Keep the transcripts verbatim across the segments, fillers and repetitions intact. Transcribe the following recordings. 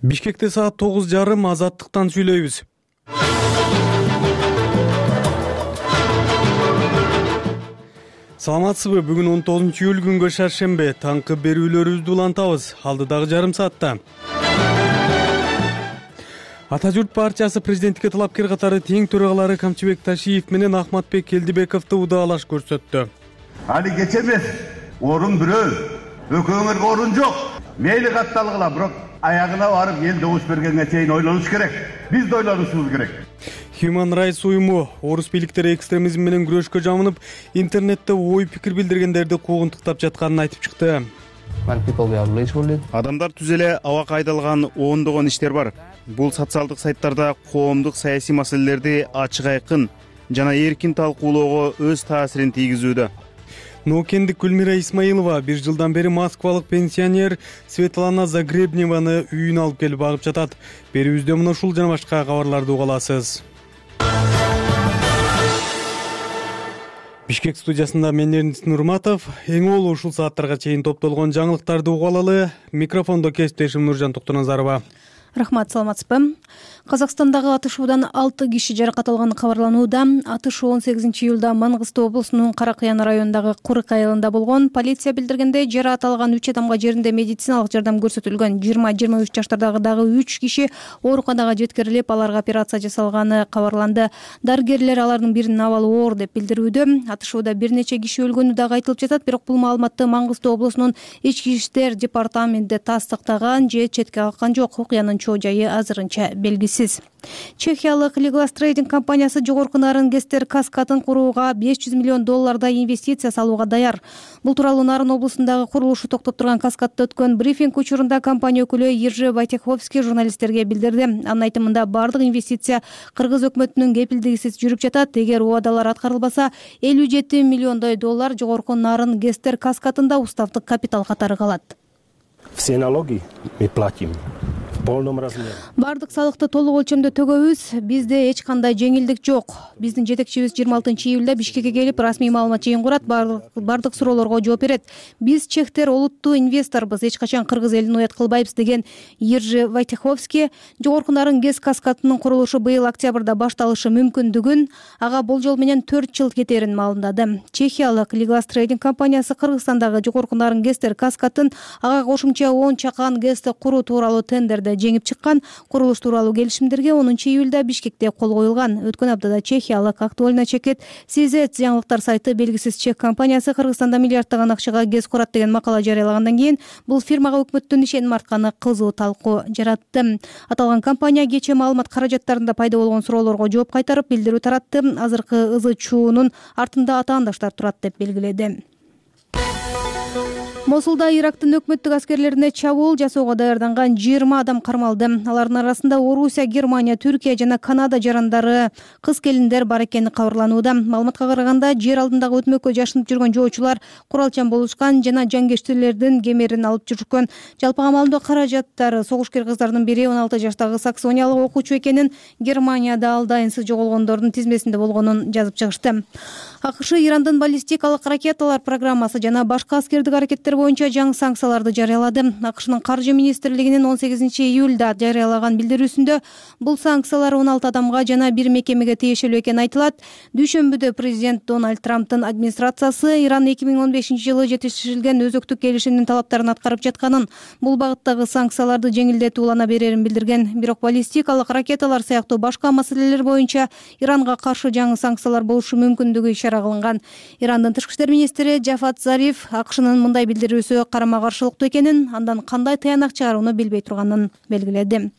Бишкекте саат тогуз жарым Азаттыктан сүйлөйбүз. Саламатсызбы? Бүгүн он тогузунчу июль күнгө шаршембе. Таңкы берүүлөрүбүздү улантабыз. Алдыдагы жарым саатта. Ата журт партиясы президенттикке талапкер катары тең төрагалары Камчыбек Ташиев менен Ахматбек Келдибековду удаалаш көрсөттү. Али кече эмес, орун бирөө. Өкөөңөргө орун жок. Мейли катталгыла, бирок аягына барып эл добуш бергенге чейин ойлонуш керек. Биз да ойлонушубуз керек. Human Rights уюму орус бийликтери экстремизм менен күрөшкө жамынып, интернетте ой пикир билдиргендерди куугунтуктап жатканын айтып чыкты. Адамдар түз эле абакка айдалган ондогон иштер бар. Бул социалдык сайттарда коомдук саясий маселелерди ачык айкын жана эркин талкуулоого өз таасирин тийгизүүдө. Ноокендик Гүлмира Исмаилова бир жылдан бери москвалык пенсионер Светлана Загребневаны үйүнө алып келип багып жатат. Берүүбүздө мына ушул жана башка кабарларды уга аласыз. Бишкек студиясында мен Эрнис Нурматов. Эң олуу ушул сааттарга чейин топтолгон жаңылыктарды уга алалы. Микрофондо кесиптешим Нуржан Токтоназарова. Рахмат, саламатсызбы? Казакстандагы атышуудан алты киши жаракат алганы кабарланууда. Атышуу он сегизинчи июлда Мангыстау облусунун Каракаян районундагы Курык айылында болгон. Полиция билдиргендей, жаракат алган үч адамга жеринде медициналык жардам көрсөтүлгөн. жыйырма жыйырма үч жаштардагы дагы үч киши ооруканага жеткирилип, аларга операция жасалганы кабарланды. Дарыгерлер алардын биринин абалы оор деп билдирүүдө. Атышууда бир нече киши өлгөнү дагы айтылып жатат, бирок бул маалыматты Мангыстау облусунун ички иштер департаменти тастыктаган же четке каккан жок. Окуянын чоо жайы азырынча белгисиз. Чехиялык Liglas Trading компаниясы жогорку нарын Гестер каскадын курууга беш жүз миллион доллардай инвестиция салууга даяр. Бул тууралуу Нарын облусундагы курулушу токтоп турган каскадда өткөн брифинг учурунда компания өкүлү Ержи Вайтеховский журналисттерге билдирди. Анын айтымында бардык инвестиция Кыргыз өкмөтүнүн кепилдигисиз жүрүп жатат. Эгер убадалар аткарылбаса, элүү жети миллиондой доллар жогорку нарын Гестер каскадында уставдык капитал катары калат. Все налоги мы платим. Бардык салыкты толук өлчөмдө төгөбүз. Бизде эч кандай жеңилдик жок. Биздин жетекчибиз жыйырма алтынчы июлда Бишкекке келип, расмий маалымат жыйын курат, бардык суроолорго жооп берет. Биз чехтер олуттуу инвесторбуз, эч качан Кыргыз элин уят кылбайбыз, деген Ержи Вайтеховский жогорку нарын ГЭС каскадынын курулушу быйыл октябрда башталышы мүмкүндүгүн, ага болжол менен төрт жыл кетерин маалымдады. Чехиялык Liglas Trading компаниясы Кыргызстандагы жогорку нарын Гестер каскадын ага кошумча он чакан ГЭСти куруу тууралуу тендерде жеңип чыккан. Курулуш тууралуу келишимдерге онунчу июлда Бишкекте кол коюлган. Өткөн аптада чехиялык Актуальна чекет Сизет жаңылыктар сайты белгисиз чех компаниясы Кыргызстанда миллиарддаган акчага ГЭС курат деген макала жарыялагандан кийин бул фирмага өкмөттүн ишеним артканы кызуу талкуу жаратты. Аталган компания кечээ маалымат каражаттарында пайда болгон суроолорго жооп кайтарып, билдирүү таратты. Азыркы ызы чуунун артында атаандаштар турат деп белгиледи. Мосулда Ирактын өкмөттүк аскерлерине чабуул жасоого даярданган жыйырма адам кармалды. Алардын арасында Орусия, Германия, Түркия жана Канада жарандары, кыз келиндер бар экени кабарланууда. Маалыматка караганда, жер алдындагы өтмөккө жашынып жүргөн жоочулар куралчан болушкан жана жангечтилердин кемерин алып жүрүшкөн. Жалпы амалдоо каражаттары согушкер кыздардын бири он алты жаштагы саксониялык окуучу экенин, Германияда ал дайынсыз жоголгондордун тизмесинде болгонун жазып чыгышты. АКШ Ирандын баллистикалык ракеталар программасы жана башка аскердик аракеттер боюнча жаңы санкцияларды жарыялады. АКШнын каржы министрлигинин он сегизинчи июлда жарыялаган билдирүүсүндө бул санкциялар он алты адамга жана бир мекемеге тиешелүү экени айтылат. Дүйшөмбүдө президент Дональд Трамптын администрациясы Иран эки миң он бешинчи жылы жетишилген өзөктүк келишимдин талаптарын аткарып жатканын, бул багыттагы санкцияларды жеңилдетүү улана берерин билдирген. Бирок баллистикалык ракеталар сыяктуу башка маселелер боюнча Иранга каршы жаңы санкциялар болушу мүмкүндүгү ишара кылынган. Ирандын тышкы иштер министри Джафат Зариф АКШнын мындай билдирүүсү карама каршылыктуу экенин, андан кандай таянак чыгарууну билбей турганын белгиледи.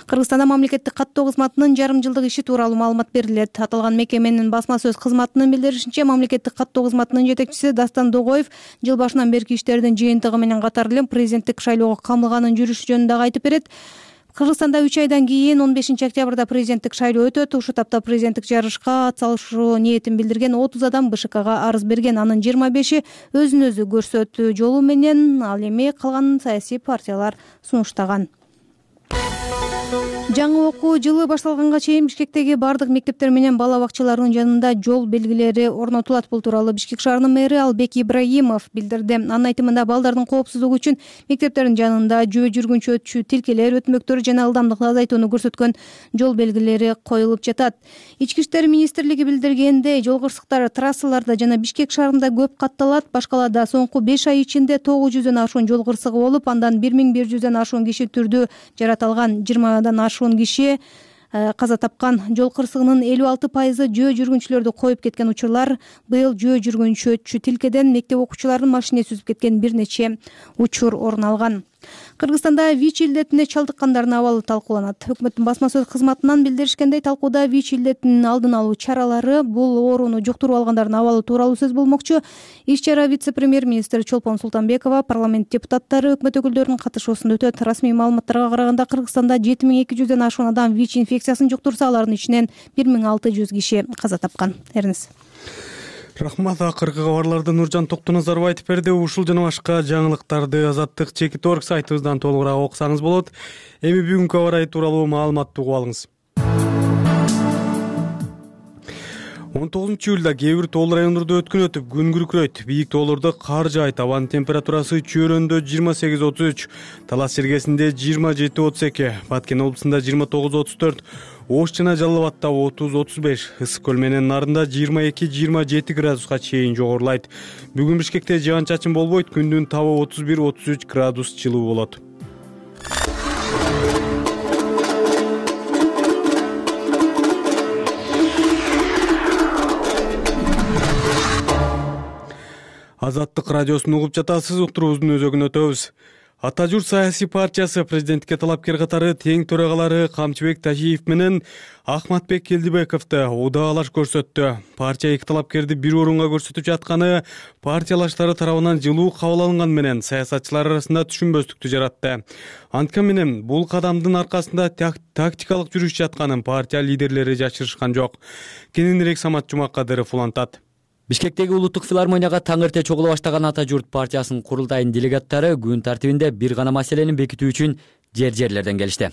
Кыргызстанда мамлекеттик каттоо кызматынын жарым жылдык иши тууралуу маалымат берилет. Аталган мекеменин басма сөз кызматынын билдиришинче, мамлекеттик каттоо кызматынын жетекчиси Дастан Догоев жыл башынан берки иштердин жыйынтыгы менен катар эле президенттик шайлоого камылганын жүрүшү жөнүндө айтып берет. Кыргызстанда үч айдан кийин он бешинчи октябрда президенттик шайлоо өтөт. Ушул тапта президенттик жарышка атсалышуу ниетин билдирген отуз адам БШКга арыз берген. Анын жыйырма беши өзүн өзү көрсөтүү жолу менен, ал эми калган саясий партиялар сунуштаган. Жаңы окуу жылы башталганга чейин Бишкектеги бардык мектептер менен бала бакчаларынын жанында жол белгилери орнотулат. Бул тууралуу Бишкек шаарынын мэри Албек Ибраимов билдирди. Анын айтымында балдардын коопсуздугу үчүн мектептердин жанында жөө жүргүнчү өтчү тилкелер, өтмөктөр жана ылдамдыкты азайтууну көрсөткөн жол белгилери коюлуп жатат. Ички иштер министрлиги билдиргендей, жол кырсыктары трассаларда жана Бишкек шаарында көп катталат. Башкалада соңку беш ай ичинде тогуз жүздөн ашуун жол кырсыгы болуп, андан бир миң бир жүздөн ашуун киши түрдүү жараталган. жыйырмадан ашуун киши каза тапкан. Жол кырсыгынын элүү алты пайызы жөө жүргүнчүлөрдү коюп кеткен учурлар. Быйыл жөө жүргүнчү өтчү тилкеден мектеп окуучуларынын машинеси үзүп кеткен бир нече учур орун алган. Кыргызстанда ВИЧ илдетине чалдыккандардын абалы талкууланат. Өкмөттүн басма сөз кызматынан билдиришкендей, талкууда ВИЧ илдетинин алдын алуу чаралары, бул ооруну жуктуруп алгандардын абалы тууралуу сөз болмокчу. Иш-чара вице-премьер-министр Чолпон Султанбекова, парламент депутаттары, өкмөт өкүлдөрүнүн катышуусунда өтөт. Расмий маалыматтарга караганда, Кыргызстанда жети миң эки жүздөн ашуун адам ВИЧ инфекциясын жуктурса, алардын ичинен бир миң алты жүз киши каза тапкан. Эрниз. Рахмат. Акыркы кабарларды Нуржан Токтоназаров айтып берди. Ушул жана башка жаңылыктарды Азаттык чекит точка орг сайтыбыздан толугураак окусаңыз болот. Эми бүгүнкү кабар тууралуу маалыматты угуп алыңыз. он тогузунчу июлда кээ бир тоол райондордо өткөн өтүп күн күркүрөйт. Бийик тоолордо кар жаайт. Абанын температурасы Чөйрөндө жыйырма сегиз отуз үч, Талас Жергесинде жыйырма жети отуз эки, Баткен облусунда жыйырма тогуз отуз төрт, Ош жана Жалал Абадта отуз отуз беш, Ысык көл менен Нарында жыйырма эки жыйырма жети градуска чейин жогорулайт. Бүгүн Бишкекте жаан-чачын болбойт. Күндүн табы отуз бир отуз үч градус жылуу болот. Азаттык радиосун угуп жатасыз. Уктуруубуздун өзөгүнө өтөбүз. Ата журт саясий партиясы президентке талапкер катары тең төрагалары Камчыбек Тажиев менен Ахматбек Келдибековду удаалаш көрсөттү. Партия эки талапкерди бир орунга көрсөтүп жатканы партиялаштары тарабынан жылуу кабыл алынган менен саясатчылар арасында түшүнбөстүктү жаратты. Анткени менен бул кадамдын аркасында тактикалык жүрүш жатканын партия лидерлери жашырышкан жок. Кененирээк Самат Жумакадыров улантат. Бишкектеги улуттук филармонияга таң эрте чогула баштаган Ата журт партиясынын курултайынын делегаттары күн тартибинде бир гана маселени бекитүү үчүн жер-жерлерден келишти.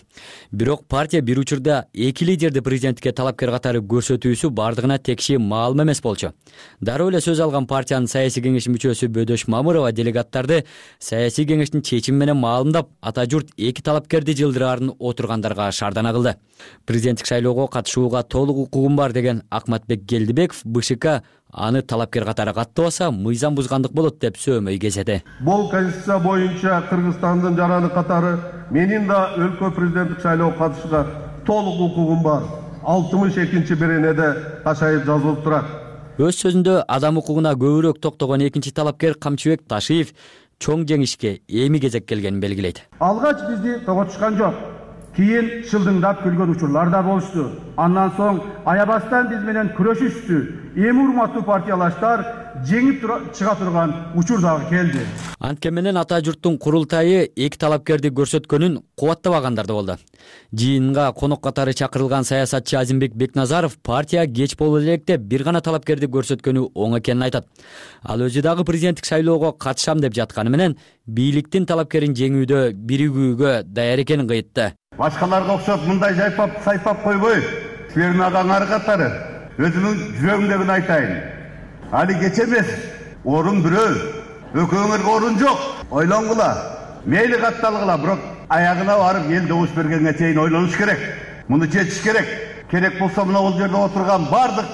Бирок партия бир учурда эки лидерди президентке талапкер катары көрсөтүүсү бардыгына текши маалым эмес болчу. Дароо эле сөз алган партиянын саясий кеңеши мүчөсү Бөдөш Мамырова делегаттарды саясий кеңештин чечими менен маалымдап, Ата журт эки талапкерди жылдыраарын отургандарга шаардана кылды. Президенттик шайлоого катышууга толук укугум бар деген Ахматбек Келдибеков БШК аны талапкер катары каттабаса мыйзам бузгандык болот деп сөймөй кезеди. Бул конституция боюнча Кыргызстандын жараны катары менин да өлкө президенттик шайлоого катышууга толук укугум бар. алтымыш экинчи беренеде кашайып жазылып турат. Өз сөзүндө адам укугуна көбүрөөк токтогон экинчи талапкер Камчыбек Ташиев чоң жеңишке эми кезек келгенин белгилейт. Алгач бизди тоготушкан жок. Кийин шылдыңдап күлгөн учурлар да болушту. Андан соң аябастан биз менен күрөшүштү. Эми урматтуу партиялаштар жеңип чыга турган учур дагы келди. Анткени менен Ата журттун курултайы эки талапкерди көрсөткөнүн кубаттабагандар да болду. Жыйынга конок катары чакырылган саясатчы Азимбек Бекназаров партия кеч боло элек деп бир гана талапкерди көрсөткөнү оң экенин айтат. Ал өзү дагы президенттик шайлоого катышам деп жатканы менен бийликтин талапкерин жеңүүдө биригүүгө даяр экенин кыйтты. Башкаларга окшоп мындай жайпап сайпап койбой, силердин агаңар катары өзүмдүн жүрөгүмдөгүн айтайын. Али кеч эмес, орун бирөө, экөөңөргө орун жок. Ойлонгула, мейли катталгыла, бирок аягына барып эл добуш бергенге чейин ойлонуш керек. Муну чечиш керек. Керек болсо мына бул жерде отурган бардык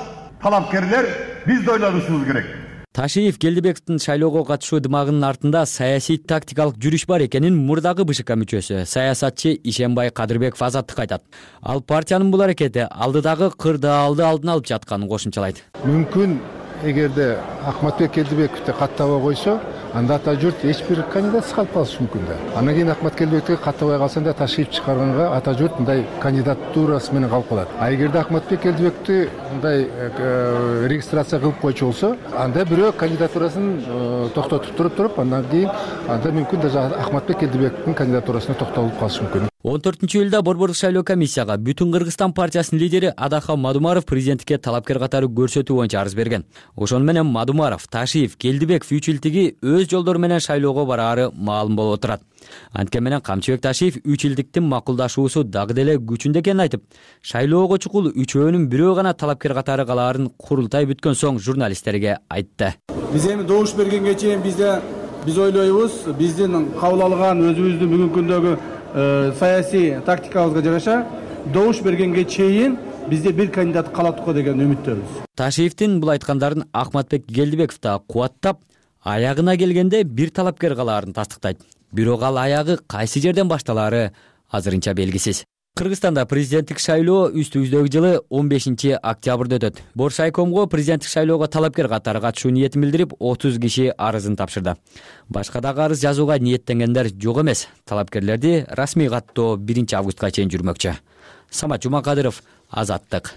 талапкерлер биз да ойлонушубуз керек. Ташиев Келдибековдун шайлоого катышуу дымагынын артында саясий тактикалык жүрүш бар экенин мурдагы БШК мүчөсү саясатчы Ишенбай Кадырбеков Азаттыкка айтат. Ал партиянын бул аракети алдыдагы кырдаалды алдын алып жатканын кошумчалайт. Мүмкүн эгерде Ахматбек Келдибековду каттабай койсо, анда Ата журт эч бир кандидатсыз калып калышы мүмкүн да. Андан кийин Ахмат Келдибековду каттабай калсанда Ташиев чыгарганга Ата журт мындай кандидатурасы менен калып калат. А эгерде Ахматбек Келдибековду мындай регистрация кылып койчу болсо, анда бирөө кандидатурасын токтотуп туруп туруп, андан кийин анда мүмкүн даже Ахматбек Келдибековдун кандидатурасына токтолуп калышы мүмкүн. он төртүнчү июлда борбордук шайлоо комиссияга Бүтүн Кыргызстан партиясынын лидери Адахан Мадумаров президенттикке талапкер катары көрсөтүү боюнча арыз берген. Ошону менен Мадумаров, Ташиев, Келдибеков үч илдиги өз жолдору менен шайлоого бараары маалым болуп отурат. Анткени менен Камчыбек Ташиев үч илдиктин макулдашуусу дагы деле күчүндө экенин айтып, шайлоого чукул үчөөнүн бирөө гана талапкер катары калаарын курултай бүткөн соң журналисттерге айтты. Биз эми добуш бергенге чейин бизде биз ойлойбуз, биздин кабыл алган өзүбүздүн бүгүнкү күндөгү саясий тактикабызга жараша добуш бергенге чейин бизде бир кандидат калат го деген үмүттөбүз. Ташиевдин бул айткандарын Ахматбек Келдибеков да кубаттап, аягына келгенде бир талапкер калаарын тастыктайт. Бирок ал аягы кайсы жерден башталаары азырынча белгисиз. Кыргызстанда президенттик шайлоо үстүбүздөгү жылы он бешинчи октябрда өтөт. Боршайкомго президенттик шайлоого талапкер катары катышуу ниетин билдирип, отуз киши арызын тапшырды. Башка дагы арыз жазууга ниеттенгендер жок эмес. Талапкерлерди расмий каттоо биринчи августка чейин жүрмөкчү. Самат Жумакадыров, Азаттык.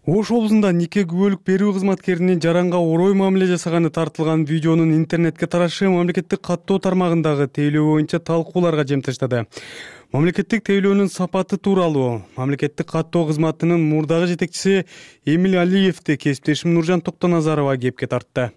Ош облусунда нике күбөлүк берүү кызматкеринин жаранга орой мамиле жасаганы тартылган видеонун интернетке тарашы мамлекеттик каттоо тармагындагы тейлөө боюнча талкууларга жем таштады. Мамлекеттик тейлөөнүн сапаты тууралуу мамлекеттик каттоо кызматынын мурдагы жетекчиси Эмил Алиевди кесиптешим Нуржан Токтоназарова кепке тартты.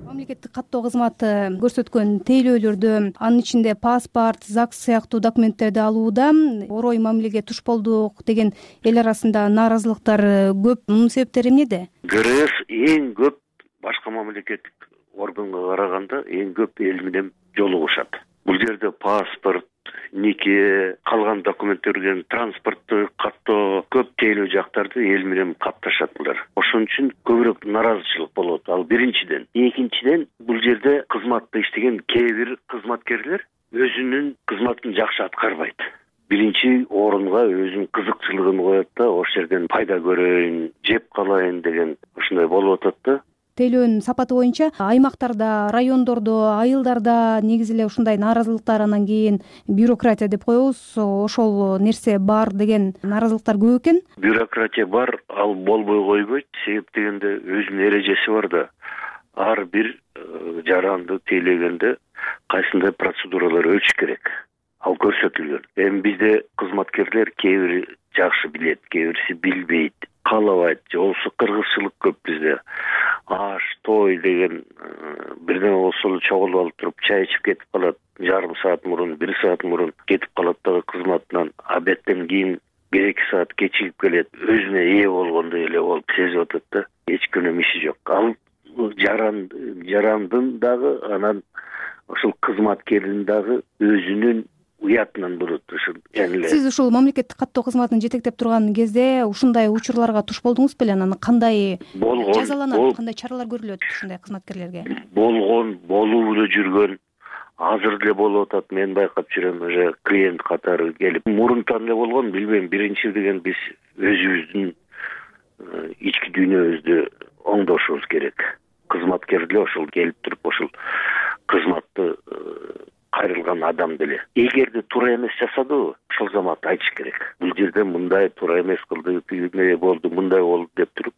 Мамлекеттик каттоо кызматы көрсөткөн тейлөөлөрдө, анын ичинде паспорт, ЗАГС сыяктуу документтерди алууда орой мамилеге туш болдук деген эл арасында нааразылыктар көп. Мунун себептери эмнеде? ГРС эң көп башка мамлекеттик органга караганда эң көп эл менен жолугушат. Бул жерде паспорт, нике, калган документтерден транспортту каттоо көп тейлөө жактарды эл менен катташат булар. Ошон үчүн көбүрөөк нааразычылык болот. Ал биринчиден. Экинчиден, бул жерде кызматта иштеген кээ бир кызматкерлер өзүнүн кызматын жакшы аткарбайт. Биринчи орунга өзүнүн кызыкчылыгын коет да, ошол жерден пайда көрөйүн, жеп калайын деген ушундай болуп атат да. Тейлөөнүн сапаты боюнча аймактарда, райондордо, айылдарда негизи эле ушундай нааразылыктар, анан кийин бюрократия деп коебуз, ошол нерсе бар деген нааразылыктар көп экен. Бюрократия бар, ал болбой койбойт. Себеп дегенде өзүнүн эрежеси бар да. Ар бир жаранды тейлегенде кайсындай процедуралар өтүш керек. Ал көрсөтүлгөн. Эми бизде кызматкерлер кээ бири жакшы билет, кээ бириси билбейт, каалабайт. же болбосо кыргызчылык көп бизде. Аш, той деген бирдеме болсо эле чогулуп алып туруп чай ичип кетип калат. Жарым саат мурун, бир саат мурун кетип калат дагы кызматынан. Абеттен кийин бир эки саат кечигип келет. Өзүнө ээ болгондой эле болуп сезип атат да. Эч кимдин иши жок. Ал жаран жарандын дагы, анан ошол кызматкердин дагы өзүнүн уятынан болот. Ушул эле. Сиз ушул мамлекеттик каттоо кызматын жетектеп турган кезде ушундай учурларга туш болдуңуз беле? Анан кандай жазаланат, кандай чаралар көрүлөт ушундай кызматкерлерге? Болгон, болуп эле жүргөн, азыр деле болуп атат. Мен байкап жүрөм, уже клиент катары келип. Мурунтан эле болгон, билбейм. Биринчи деген биз өзүбүздүн ички дүйнөбүздү оңдошубуз керек. Кызматкер деле ошол келип туруп, ошол кызматты кайрылган адам деле. Эгерде туура эмес жасадыбы, ошол замат айтыш керек. Бул жерде мындай туура эмес кылды, эмне болду, мындай болду деп туруп,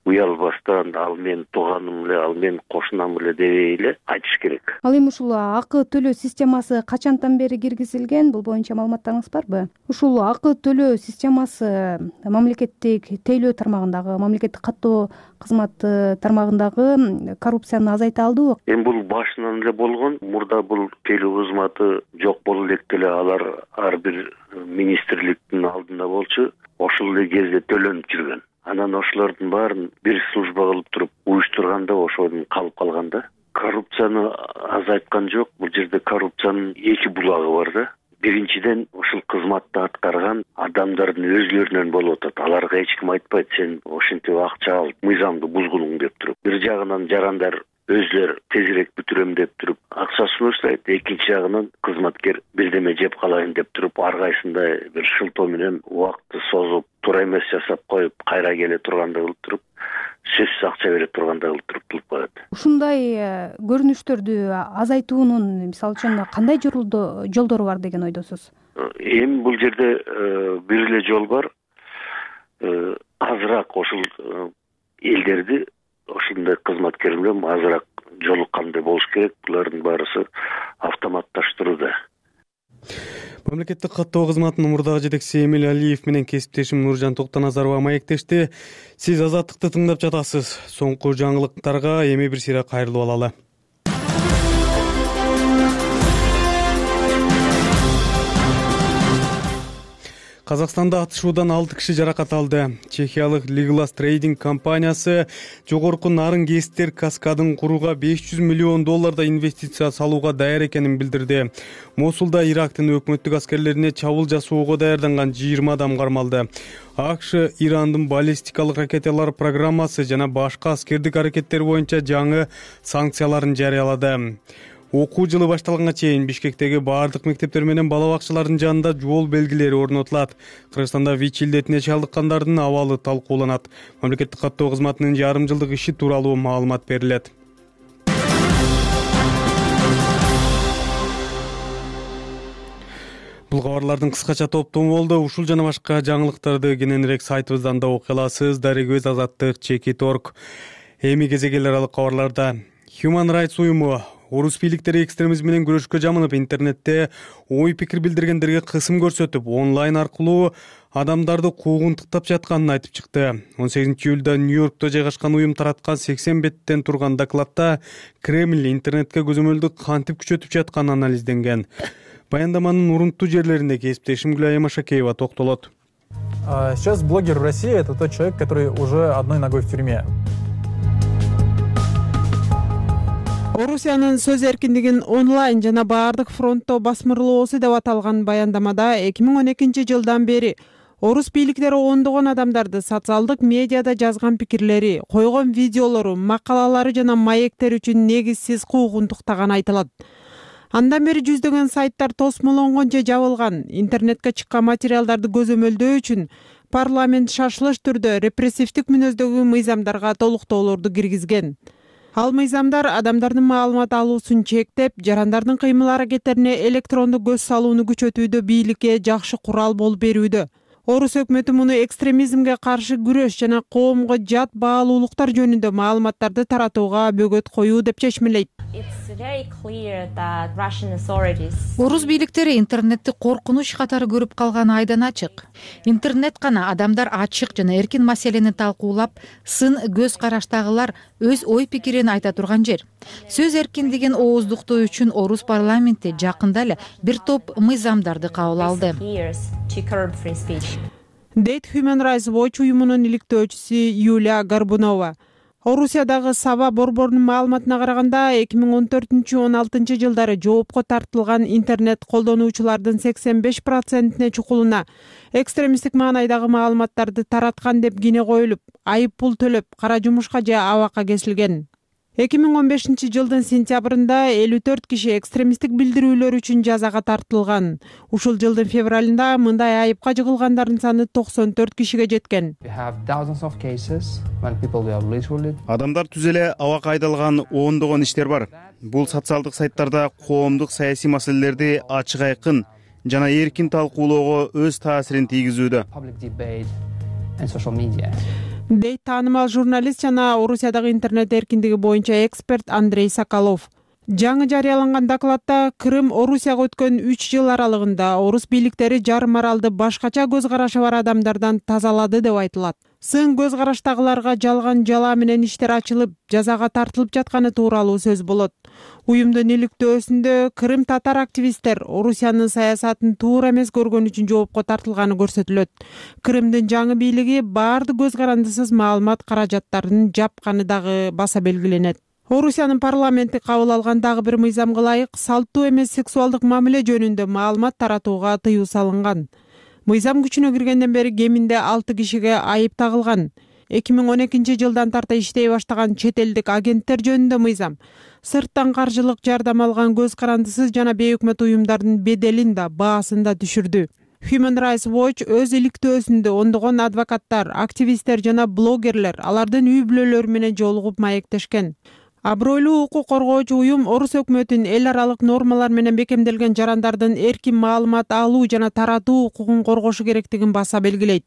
уялбастан, ал менин тууганым эле, ал менин кошунам эле дебей эле айтыш керек. Ал эми ушул акы төлөө системасы качантан бери киргизилген? Бул боюнча маалыматтарыңыз барбы? Ушул акы төлөө системасы мамлекеттик тейлөө тармагындагы, мамлекеттик каттоо кызматы тармагындагы коррупцияны азайта алдыбы? Эми бул башынан эле болгон. Мурда бул тейлөө кызматы жок болуп электе эле алар ар бир министрликтин алдында болчу. Ошол эле кезде төлөнүп жүргөн. Анан ошолордун баарын бир служба кылып туруп уюштурганда ошодон калып калганда. Коррупцияны азайткан жок. Бул жерде коррупциянын эки булагы бар да. Биринчиден ушул кызматты аткарган адамдардын өзлөрүнөн болуп атат. Аларга эч ким айтпайт, сен ошентип акча алып, мыйзамды бузгунуң деп туруп. Бир жагынан жарандар өзлөр тезирээк бүтүрөм деп туруп акчасын уштайт. Экинчи жагынан кызматкер бирдеме жеп калайын деп туруп ар кайсында бир шылтоо менен убакытты созуп, туура эмес жасап коюп, кайра келе турганда кылып туруп, сөзсүз акча бере турганда кылып туруп кылып коет. Ушундай көрүнүштөрдү азайтуунун мисалы үчүн кандай жолдору бар деген ойдосуз? Эми бул жерде бир эле жол бар. Азыраак ошол элдерди, ошондой кызматкерлер азыраак жолу кандай болуш керек, булардын баарысы автоматташтырууда. Мамлекеттик каттоо кызматынын мурдагы жетекчиси Эмиль Алиев менен кесиптешим Нуржан Токтоназарова маектешти. Сиз Азаттыкты тыңдап жатасыз. Соңку жаңылыктарга эми бир сыйра кайрылып алалы. Казакстанда атышуудан алты киши жаракат алды. Чехиялык Legolas Trading компаниясы жогорку нарын кесиптер каскадын курууга беш жүз миллион долларда инвестиция салууга даяр экенин билдирди. Мосулда Ирактын өкмөттүк аскерлерине чабуул жасоого даярданган жыйырма адам кармалды. АКШ Ирандын баллистикалык ракеталар программасы жана башка аскердик аракеттер боюнча жаңы санкцияларын жарыялады. Окуу жылы башталганга чейин Бишкектеги баардык мектептер менен бала бакчалардын жанында жол белгилери орнотулат. Кыргызстанда ВИЧ илдетине чалдыккандардын абалы талкууланат. Мамлекеттик каттоо кызматынын жарым жылдык иши тууралуу маалымат берилет. Бул кабарлардын кыскача топтому болду. Ушул жана башка жаңылыктарды кененирээк сайтыбыздан да окуй аласыз. Дарыгөз Азаттык Чекит точка орг. Эми кезек эл аралык кабарларда Human Rights уюму орус бийликтери экстремизм менен күрөшкө жамынып интернетте ой пикир билдиргендерге кысым көрсөтүп, онлайн аркылуу адамдарды куугунтуктап жатканын айтып чыкты. он сегизинчи июлда Нью-Йоркто жайгашкан уюм тараткан сексен беттен турган докладта Кремль интернетке көзөмөлдү кантип күчөтүп жатканы анализденген. Баяндаманын урунттуу жерлеринде кесиптешим Гүлайым Машакеева токтолот. Сейчас блогер в России — это тот человек, который уже одной ногой в тюрьме. Орусиянын сөз эркиндигин онлайн жана баардык фронтто басмырлоосу деп аталган баяндамада эки миң он экинчи жылдан бери орус бийликтери ондогон адамдарды социалдык медиада жазган пикирлери, койгон видеолору, макалалары жана маектер үчүн негизсиз куугунтуктаганы айтылат. Андан бери жүздөгөн сайттар тосмолонгончо жабылган. Интернетке чыккан материалдарды көзөмөлдөө үчүн парламент шашылыш түрдө репрессивдик мүнөздөгү мыйзамдарга толуктоолорду киргизген. Ал мыйзамдар адамдардын маалымат алуусун чектеп, жарандардын кыймыл аракеттерине электрондук көз салууну күчөтүүдө бийликке жакшы курал болуп берүүдө. Орус өкмөтү муну экстремизмге каршы күрөш жана коомго жат баалуулуктар жөнүндө маалыматтарды таратууга бөгөт коюу деп чечмелейт. Орус бийликтери интернетти коркунуч катары көрүп калганы айдан ачык. Интернет гана адамдар ачык жана эркин маселени талкуулап, сын көз караштагылар өз ой пикирин айта турган жер. Сөз эркиндигин ооздуктоо үчүн Орус парламенти жакында эле бир топ мыйзамдарды кабыл алды. Дейт Human Rights Watch уюмунун иликтөөчүсү Юлия Горбунова. Орусиядагы Сава борборунун маалыматына караганда эки миң он төртүнчү он алтынчы жылдары жоопко тартылган интернет колдонуучулардын сексен беш процентине чукулуна экстремисттик маанайдагы маалыматтарды тараткан деп кине коюлуп, айып пул төлөп, кара жумушка же абакка кесилген. эки миң он бешинчи жылдын сентябрында элүү төрт киши экстремисттик билдирүүлөр үчүн жазага тартылган. Ушул жылдын февралында мындай айыпка жыгылгандардын саны токсон төрт кишиге жеткен. Адамдар түз эле абакка айдалган ондогон иштер бар. Бул социалдык сайттарда коомдук саясий маселелерди ачык айкын жана эркин талкуулоого өз таасирин тийгизүүдө. Дейт таанымал журналист жана Орусиядагы интернет эркиндиги боюнча эксперт Андрей Соколов. Жаңы жарыяланган докладта Крым Орусияга өткөн үч жыл аралыгында орус бийликтери жарым аралды башкача көз карашы бар адамдардан тазалады деп айтылат. Сын көз караштагыларга жалган жала менен иштер ачылып, жазага тартылып жатканы тууралуу сөз болот. Уюмдун иликтөөсүндө Крым татар активисттер Орусиянын саясатын туура эмес көргөн үчүн жоопко тартылганы көрсөтүлөт. Крымдын жаңы бийлиги баардык көз карандысыз маалымат каражаттарын жапканы дагы баса белгиленет. Орусиянын парламенти кабыл алган дагы бир мыйзамга ылайык салттуу эмес сексуалдык мамиле жөнүндө маалымат таратууга тыюу салынган. Мыйзам күчүнө киргенден бери кеминде алты кишиге айып тагылган. эки миң он экинчи жылдан тарта иштей баштаган чет элдик агенттер жөнүндө мыйзам сырттан каржылык жардам алган көз карандысыз жана бейөкмөт уюмдардын беделин да баасын да түшүрдү. Human Rights Watch өз иликтөөсүндө ондогон адвокаттар, активисттер жана блогерлер алардын үй бүлөлөрү менен жолугуп маектешкен. Абройлуу укук коргоочу уюм орус өкмөтүн эл аралык нормалар менен бекемделген жарандардын эркин маалымат алуу жана таратуу укугун коргошу керектигин баса белгилейт.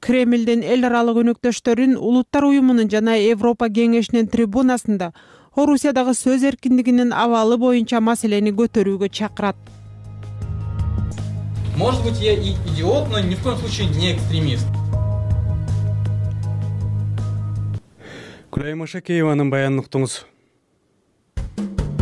Кремлдин эл аралык өнөктөштөрүн Улуттар уюмунун жана Европа кеңешинин трибунасында Орусиядагы сөз эркиндигинин абалы боюнча маселени көтөрүүгө чакырат. Может быть, я и идиот, но ни в коем случае не экстремист. Күлай Машакееванын баянын уктуңуз.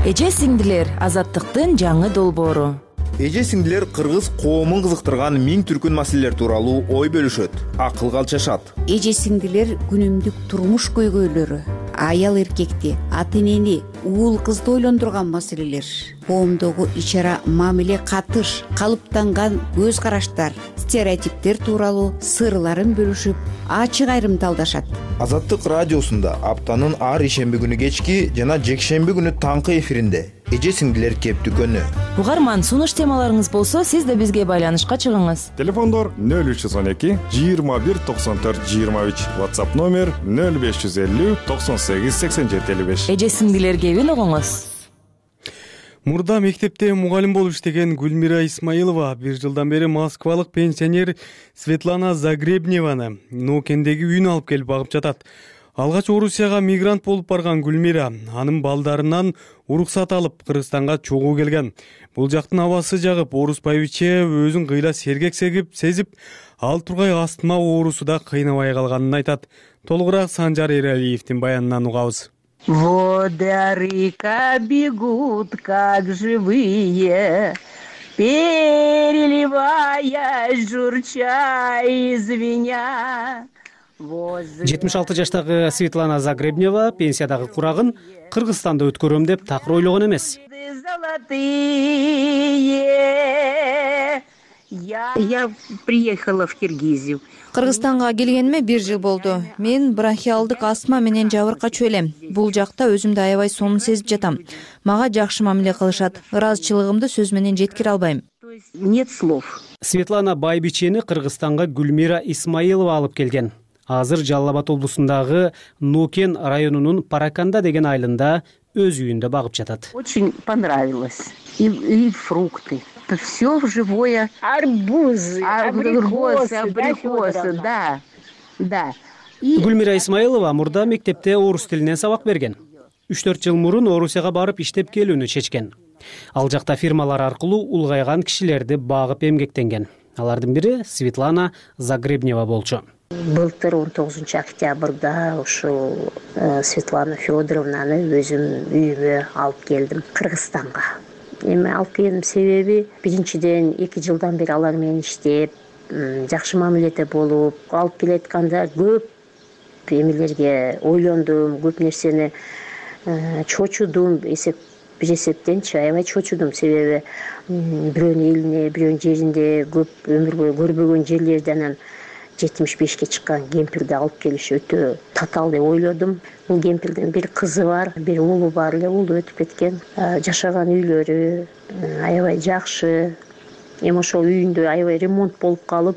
Эже сиңдилер азаттыктын жаңы долбоору. Эже сиңдилер кыргыз коомун кызыктырган миң түркүн маселелер тууралуу ой бөлүшөт, акылга алчашат. Эже сиңдилер күнүмдүк турмуш көйгөйлөрү, аял эркекти, ата энени, уул кызды ойлондурган маселелер, коомдогу ич ара мамиле катыш, калыптанган көз караштар, стереотиптер тууралуу сырларын бөлүшүп, ачык айрымталдашат. Азаттык радиосунда аптанын ар ишемби күнү кечки жана жекшемби күнү таңкы эфиринде эже сиңдилер кептүкөнү. Угарман, сунуш темаларыңыз болсо, сиз да бизге байланышка чыгыңыз. Телефондор нөл үч жүз он эки жыйырма бир токсон төрт жыйырма үч, WhatsApp номер нөл беш жүз элүү токсон сегиз сексен жети элүү беш. Эже сиңдилер кебин угуңуз. Мурда мектепте мугалим болуп иштеген Гүлмира Исмаилова бир жылдан бери москвалык пенсионер Светлана Загребневаны Нокендеги үйүнө алып келип багып жатат. Алгач Орусияга мигрант болуп барган Гүлмира анын балдарынан уруксат алып Кыргызстанга чогуу келген. Бул жактын абасы жагып, орус байбиче өзүн кыйла сергек сегип сезип, ал тургай астма оорусу да кыйнабай калганын айтат. Толугураак Санжар Эралиевдин баянынан угабыз. Воды река бегут, как живые, переливая, журча и звеня. жетимиш алты жаштагы Светлана Загребнева пенсиядагы курагын Кыргызстанда өткөрөм деп такыр ойлогон эмес. Я приехала в Киргизию. Кыргызстанга келгениме бир жыл болду. Мен бронхиалдык астма менен жабыркачу элем. Бул жакта өзүмдү аябай сонун сезип жатам. Мага жакшы мамиле кылышат. Ыраазычылыгымды сөз менен жеткире албайм. Нет слов. Светлана байбичени Кыргызстанга Гүлмира Исмаилова алып келген. Азыр Жалал Абад облусундагы Нукен районунун Параканда деген айылында өз үйүндө багып жатат. Очень понравилось. И, и фрукты. Это все живое. Арбузы, абрикосы, абрикосы, да, да. И... Гүлмира Исмаилова мурда мектепте орус тилинен сабак берген. үч төрт жыл мурун Орусияга барып иштеп келүүнү чечкен. Ал жакта фирмалар аркылуу улгайган кишилерди багып эмгектенген. Алардын бири Светлана Загребнева болчу. Былтыр он тогузунчу октябрда ушул Светлана Федоровнаны өзүм үйүмө алып келдим Кыргызстанга. Эми алып келдим себеби биринчиден эки жылдан бери алар менен иштеп, жакшы мамиледе болуп, алып келатканда көп эмелерге ойлондум, көп нерсени чочудум, эсеп бир эсептенчи аябай чочудум, себеби бирөөнүн элине, бирөөнүн жеринде көп өмүр бою көрбөгөн жерлерди анан жетимиш бешке чыккан кемпирди алып келиш өтө татаал деп ойлодум. Бул кемпирдин бир кызы бар, бир уулу бар эле, уулу өтүп кеткен. Жашаган үйлөрү аябай жакшы. Эми ошол үйүндө аябай ремонт болуп калып,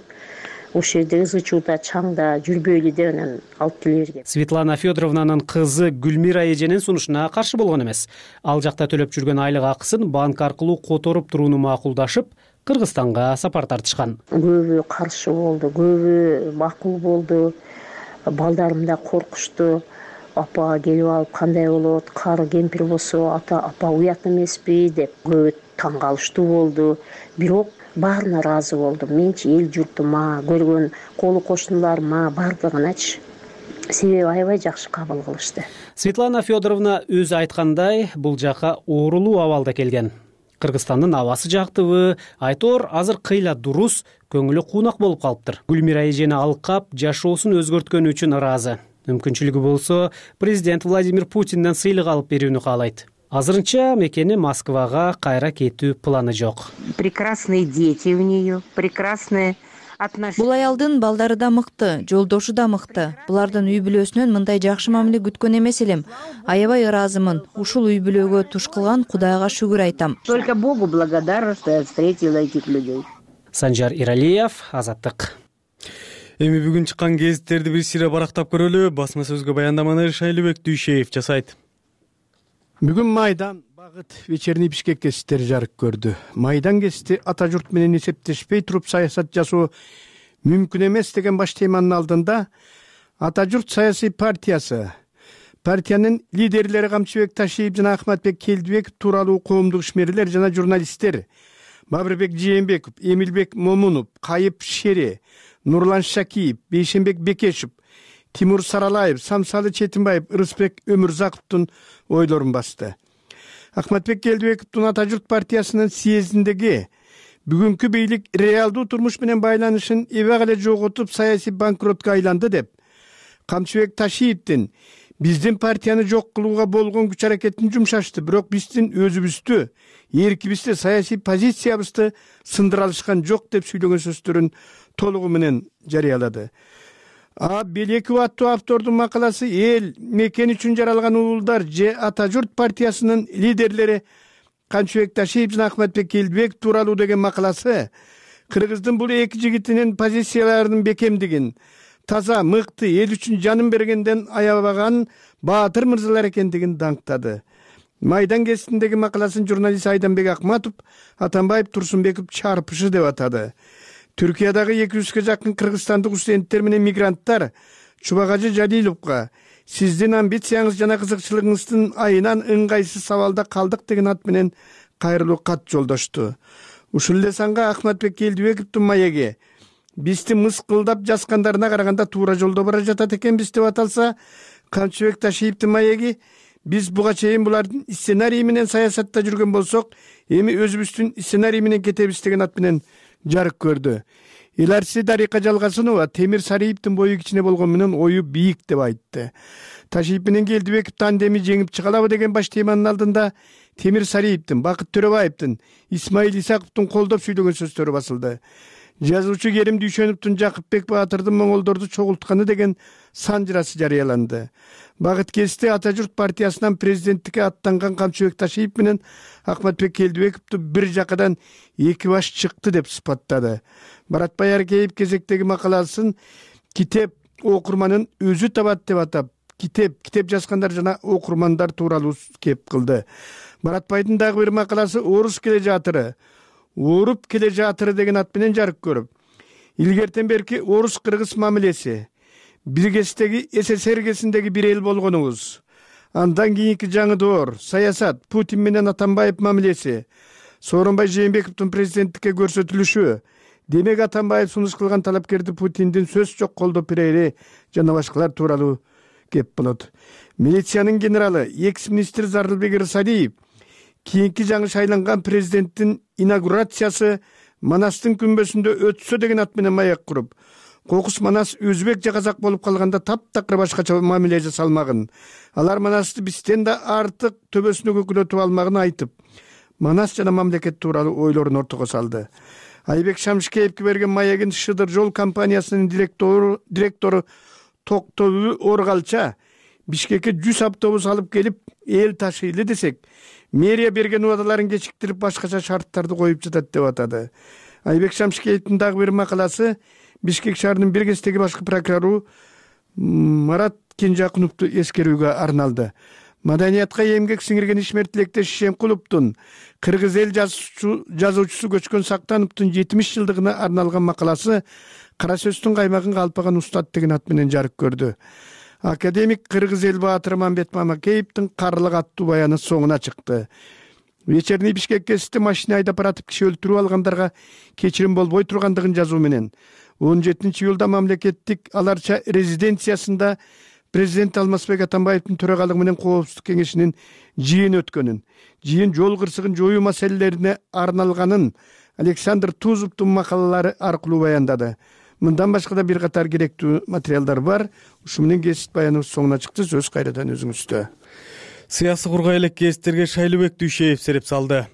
ошол жерде ызы чууда, чаңда жүрбөйлү деп анан алып келе берген. Светлана Федоровнанын кызы Гүлмира эженин сунушуна каршы болгон эмес. Ал жакта төлөп жүргөн айлык акысын банк аркылуу которуп турууну макулдашып, Кыргызстанга сапар тартышкан. Көбү каршы болду, көбү макул болду. Балдарым да коркушту. Апа келип алып кандай болот? Кары кемпир болсо, ата апа уят эмеспи деп көбү таң калыштуу болду. Бирок баарына ыраазы болдум. Менчи эл журтума, көргөн колу кошуналарыма бардыгыначы. Себеби аябай жакшы кабыл кылышты. Светлана Федоровна өзү айткандай, бул жака оорулуу абалда келген. Кыргызстандын абасы жактыбы, айтор азыр кыйла дурус, көңүлү куунак болуп калыптыр. Гүлмира эжени алкап, жашоосун өзгөрткөнү үчүн ыраазы. Мүмкүнчүлүгү болсо, президент Владимир Путинден сыйлык алып берүүнү каалайт. Азырынча мекени Москвага кайра кетүү планы жок. Прекрасные дети у нее, прекрасные отношения. Бул аялдын балдары да мыкты, жолдошу да мыкты. Булардын үй бүлөсүнөн мындай жакшы мамиле күткөн эмес элем. Аябай ыраазымын. Ушул үй бүлөгө туш кылган Кудайга шүгүр айтам. Только Богу благодарна, что я встретила этих людей. Санжар Иралиев, Азаттык. Эми бүгүн чыккан гезиттерди бир сире барактап көрөлү. Басма сөзгө баяндаманы Шайлыбек Дүйшеев жасайт. Бүгүн Майдан багыт вечерний Бишкек гезиттери жарык көрдү. Майдан гезити ата журт менен эсептешпей туруп саясат жасоо мүмкүн эмес деген баш теманын алдында Ата журт саясий партиясы, партиянын лидерлери Камчыбек Ташиев жана Ахматбек Келдибеков тууралуу коомдук ишмерлер жана журналисттер Бабырбек Жээнбеков, Эмилбек Момунов, Кайып Шери, Нурлан Шакиев, Бейшенбек Бекешев, Тимур Саралаев, Самсалы Четинбаев, Ырысбек Өмүрзаковдун ойлорун басты. Ахматбек Келдибековдун Ата журт партиясынын съездиндеги бүгүнкү бийлик реалдуу турмуш менен байланышын эбек эле жоготуп саясий банкротко айланды деп, Камчыбек Ташиевдин биздин партияны жок кылууга болгон күч аракетин жумшашты, бирок биздин өзүбүздү, эркибизди, саясий позициябызды сындыра алышкан жок деп сүйлөгөн сөздөрүн толугу менен жарыялады. А Белеков аттуу автордун макаласы эл мекен үчүн жаралган уулдар же Ата журт партиясынын лидерлери Камчыбек Ташиев жана Ахматбек Келдибеков тууралуу деген макаласы кыргыздын бул эки жигитинин позицияларынын бекемдигин, таза, мыкты, эл үчүн жанын бергенден аябаган баатыр мырзалар экендигин даңктады. Майдан гезитиндеги макаласын журналист Айданбек Акматов Атамбаев Турсунбеков чарпышы деп атады. Түркиядагы эки жүзгө жакын кыргызстандык студенттер менен мигранттар Чубагажы Жалиловго сиздин амбицияңыз жана кызыкчылыгыңыздын айынан ыңгайсыз сабалда калдык деген ат менен кайрылуу кат жолдошту. Ушул эле санга Ахматбек Келдибековдун маеги бизди мыскылдап жазгандарына караганда туура жолдо бара жатат экенбиз деп аталса, Камчыбек Ташиевдин маеги биз буга чейин булардын сценарий менен саясатта жүргөн болсок, эми өзүбүздүн сценарий менен кетебиз деген ат менен жарык көрдү. Иларси Дарика Жалгасынова Темир Сариевдин бою кичине болгон менен ою бийик деп айтты. Ташиев менен Келдибеков тандеми жеңип чыга алабы деген баш теманын алдында Темир Сариевдин, Бакыт Төрөбаевдин, Исмаил Исаковдун колдоп сүйлөгөн сөздөрү басылды. Жазуучу Керим Дүйшөновдун Жакыпбек Баатырдын моңголдорду чогултканы деген санжырасы жарыяланды. Багыт кести Ата журт партиясынан президенттикке аттанган Камчыбек Ташиев менен Ахматбек Келдибековду бир жакадан эки баш чыкты деп сыпаттады. Баратбай Аркеев кезектеги макаласын китеп окурманын өзү табат деп атап, китеп, китеп жазгандар жана окурмандар тууралуу кеп кылды. Баратбайдын дагы бир макаласы орус келе жатыры, ооруп келе жатыры деген ат менен жарык көрүп, илгертен берки орус-кыргыз мамилеси, биргестеги СССР кезиндеги бир эл болгонуңуз, андан кийинки жаңы доор, саясат, Путин менен Атамбаев мамилеси, Сооронбай Жээнбековдун президенттикке көрсөтүлүшү, демек Атамбаев сунуш кылган талапкерди Путиндин сөз жок колдоп берери жана башкалар тууралуу кеп болот. Милициянын генералы, экс-министр Зарылбек Ырсалиев кийинки жаңы шайланган президенттин инаугурациясы Манастын күнбөсүндө өтсө деген ат менен маек куруп, кокус Манас өзбек же казак болуп калганда таптакыр башкача мамиле жасалмагын, алар Манасты бизден да артык төбөсүнө көкүлөтүп алмагын айтып, Манас жана мамлекет тууралуу ойлорун ортого салды. Айбек Шамшыкеевге берген маегин Шыдыр жол компаниясынын директору директору Токтогул Оргалча Бишкекке жүз автобус алып келип эл ташыйлы десек, мэрия берген убадаларын кечиктирип башкача шарттарды коюп жатат деп атады. Айбек Шамшыкеевдин дагы бир макаласы Бишкек шаарынын биргестеги башкы прокурору Марат Кенжакуновду эскерүүгө арналды. Маданиятка эмгек сиңирген ишмер тилектеш Шемкуловдун кыргыз эл жазуучусу Көчкөн Сактановдун жетимиш жылдыгына арналган макаласы кара сөздүн каймагын калпаган устат деген ат менен жарык көрдү. Академик кыргыз эл баатыры Мамбет Мамакеевдин Карлык аттуу баяны соңуна чыкты. Вечерний Бишкек кезинде машина айдап баратып киши өлтүрүп алгандарга кечирим болбой тургандыгын жазуу менен он жетинчи июлда мамлекеттик аларча резиденциясында президент Алмазбек Атамбаевдин төрагалыгы менен коопсуздук кеңешинин жыйыны өткөнүн, жыйын жол кырсыгын жоюу маселелерине арналганын Александр Тузовдун макалалары аркылуу баяндады. Мындан башка да бир катар керектүү материалдар бар. Ушу менен кесип баяныбыз соңуна чыкты. Сөз кайрадан өзүңүздө. Сыясы кургай элек кесиптерге Шайлыбек Дүйшеев сереп салды.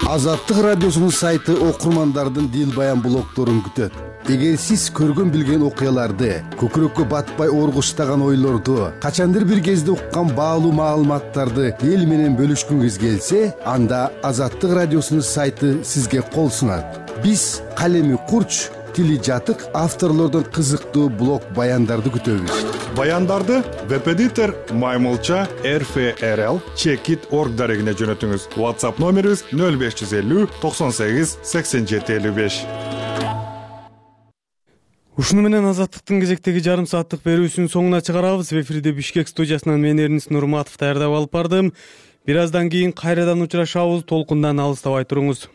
Азаттык радиосунун сайты окурмандардын дил баян блогдорун күтөт. Эгер сиз көргөн билген окуяларды, көкүрөккө батпай оргуштаган ойлорду, качандыр бир кезде уккан баалуу маалыматтарды эл менен бөлүшкүңүз келсе, анда Азаттык радиосунун сайты сизге кол сунат. Биз калеми курч, тили жатык авторлордон кызыктуу блог баяндарды күтөбүз. Баяндарды веб-эдитор Маймылча эр эф эр эл чекит точка орг дарегине жөнөтүңүз. WhatsApp номерибиз нөл беш жүз элүү токсон сегиз сексен жети элүү беш. Ушуну менен Азаттыктын кезектеги жарым сааттык берүүсүнүн соңуна чыгарабыз. Эфирде Бишкек студиясынан мен Эрнис Нурматов даярдап алып бардым. Бир аздан кийин кайрадан учурашабыз. Толкундан алыстабай туруңуз.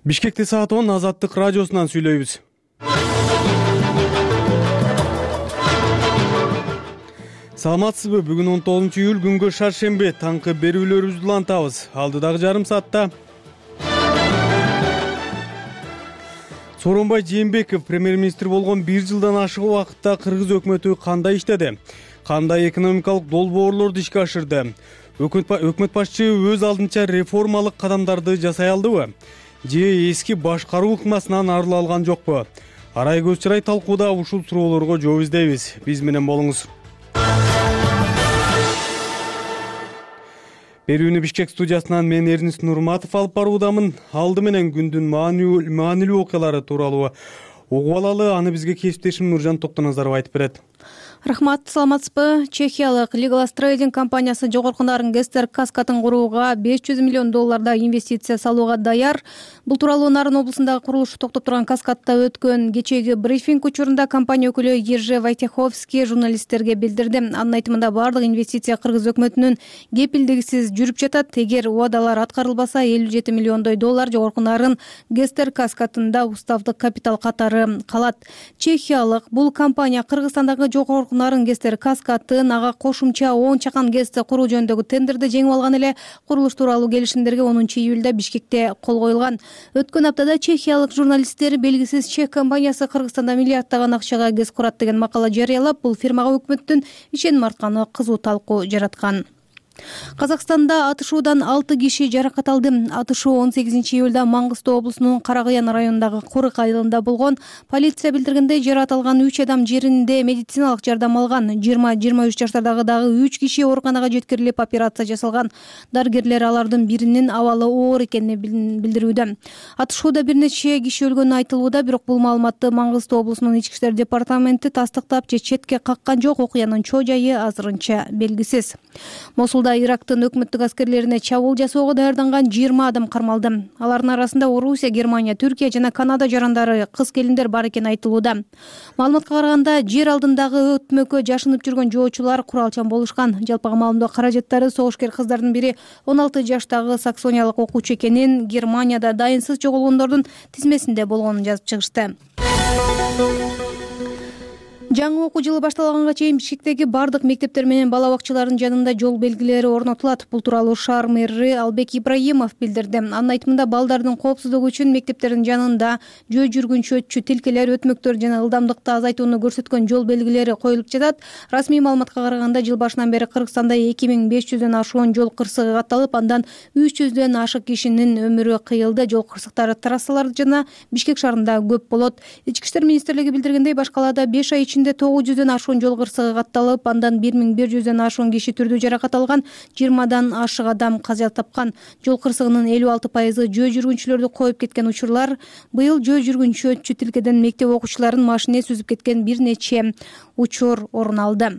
Бишкекте саат он. Азаттык радиосунан сүйлөйбүз. Саламатсызбы? Бүгүн он тогузунчу июль күнгө шаршемби. Таңкы берүүлөрүбүздү улантабыз. Алдыдагы жарым саатта Сооронбай Жээнбеков премьер-министр болгон бир жылдан ашык убакытта Кыргыз өкмөтү кандай иштеди? Кандай экономикалык долбоорлорду ишке ашырды? Өкмөт башчы өз алдынча реформалык кадамдарды жасай алдыбы? Же эски башкаруу ыкмасынан арыла алган жокпу? Арай көз чырай талкууда ушул суроолорго жооп издейбиз. Биз менен болуңуз. Берүүнү Бишкек студиясынан мен Эрнис Нурматов алып баруудамын. Алды менен күндүн маанилүү окуялары тууралуу угуп алалы. Аны бизге кесиптешим Нуржан Токтоназаров айтып берет. Рахмат, саламатсызбы? Чехиялык Legal Trading компаниясы жогорку нарын Гестер Каскатын курууга беш жүз миллион долларда инвестиция салууга даяр. Бул тууралуу Нарын облусундагы курулушу токтоп турган Каскатта өткөн кечээги брифинг учурунда компания өкүлү Ержи Вайтеховский журналисттерге билдирди. Анын айтымында бардык инвестиция Кыргыз өкмөтүнүн кепилдигисиз жүрүп жатат. Эгер убадалар аткарылбаса, элүү жети миллиондой доллар жогорку нарын Гестер Каскатында уставдык капитал катары калат. Чехиялык бул компания Кыргызстандагы жогорку нарын Гестер Каскатын ага кошумча он чакан ГЭСти куруу жөнүндөгү тендерди жеңип алган эле. Курулуш тууралуу келишимдерге онунчу июлда Бишкекте кол коюлган. Өткөн аптада чехиялык журналисттер белгисиз чех компаниясы Кыргызстанда миллиарддаган акчага ГЭС курат деген макала жарыялап, бул фирмага өкмөттүн ишеним артканы кызуу талкуу жараткан. Казакстанда атышуудан алты киши жаракат алды. Атышуу он сегизинчи июлда Маңгыстоо облусунун Каракаян районундагы Курык айылында болгон. Полиция билдиргендей, жаракат алган үч адам жеринде медициналык жардам алган. жыйырма жыйырма үч жаштардагы дагы үч киши ооруканага жеткирилип, операция жасалган. Дарыгерлер алардын биринин абалы оор экенин билдирүүдө. Атышууда бир нече киши өлгөнү айтылууда, бирок бул маалыматты Маңгыстоо облусунун ички иштер департаменти тастыктап же четке каккан жок. Окуянын чоо жайы азырынча белгисиз. Мосулда Ирактын өкмөттүк аскерлерине чабуул жасоого даярданган жыйырма адам кармалды. Алардын арасында Орусия, Германия, Түркия жана Канада жарандары, кыз-келиндер бар экени айтылууда. Маалыматка караганда, жер алдындагы өтмөккө жашынып жүргөн жоочулар куралчан болушкан. Жалпыга маалымдоо каражаттары согушкер кыздардын бири он алты жаштагы саксониялык окуучу экенин, Германияда дайынсыз жоголгондордун тизмесинде болгонун жазып чыгышты. Жаңы окуу жылы башталганга чейин Бишкектеги бардык мектептер менен бала бакчаларынын жанында жол белгилери орнотулат. Бул тууралуу шаар мэри Албек Ибраимов билдирди. Анын айтымында, балдардын коопсуздугу үчүн мектептердин жанында жөө жүргүнчү өтчү тилкелер, өтмөктөр жана ылдамдыкты азайтууну көрсөткөн жол белгилери коюлуп жатат. Расмий маалыматка караганда, жыл башынан бери Кыргызстанда эки миң беш жүздөн ашуун жол кырсыгы катталып, андан үч жүздөн ашык кишинин өмүрү кыйылды. Жол кырсыктары трассалар жана Бишкек шаарында көп болот. Ички иштер министрлиги билдиргендей, баш калаада беш ай ичинде тогуз жүздөн ашуун жол кырсыгы катталып, андан бир миң бир жүздөн ашуун киши түрдүү жаракат алган, жыйырмадан ашык адам каза тапкан. Жол кырсыгынын элүү алты пайызы жөө жүргүнчүлөрдү коюп кеткен учурлар. Быйыл жөө жүргүнчү өтчү тилкеден мектеп окуучуларын машине сүзүп кеткен бир нече учур орун алды.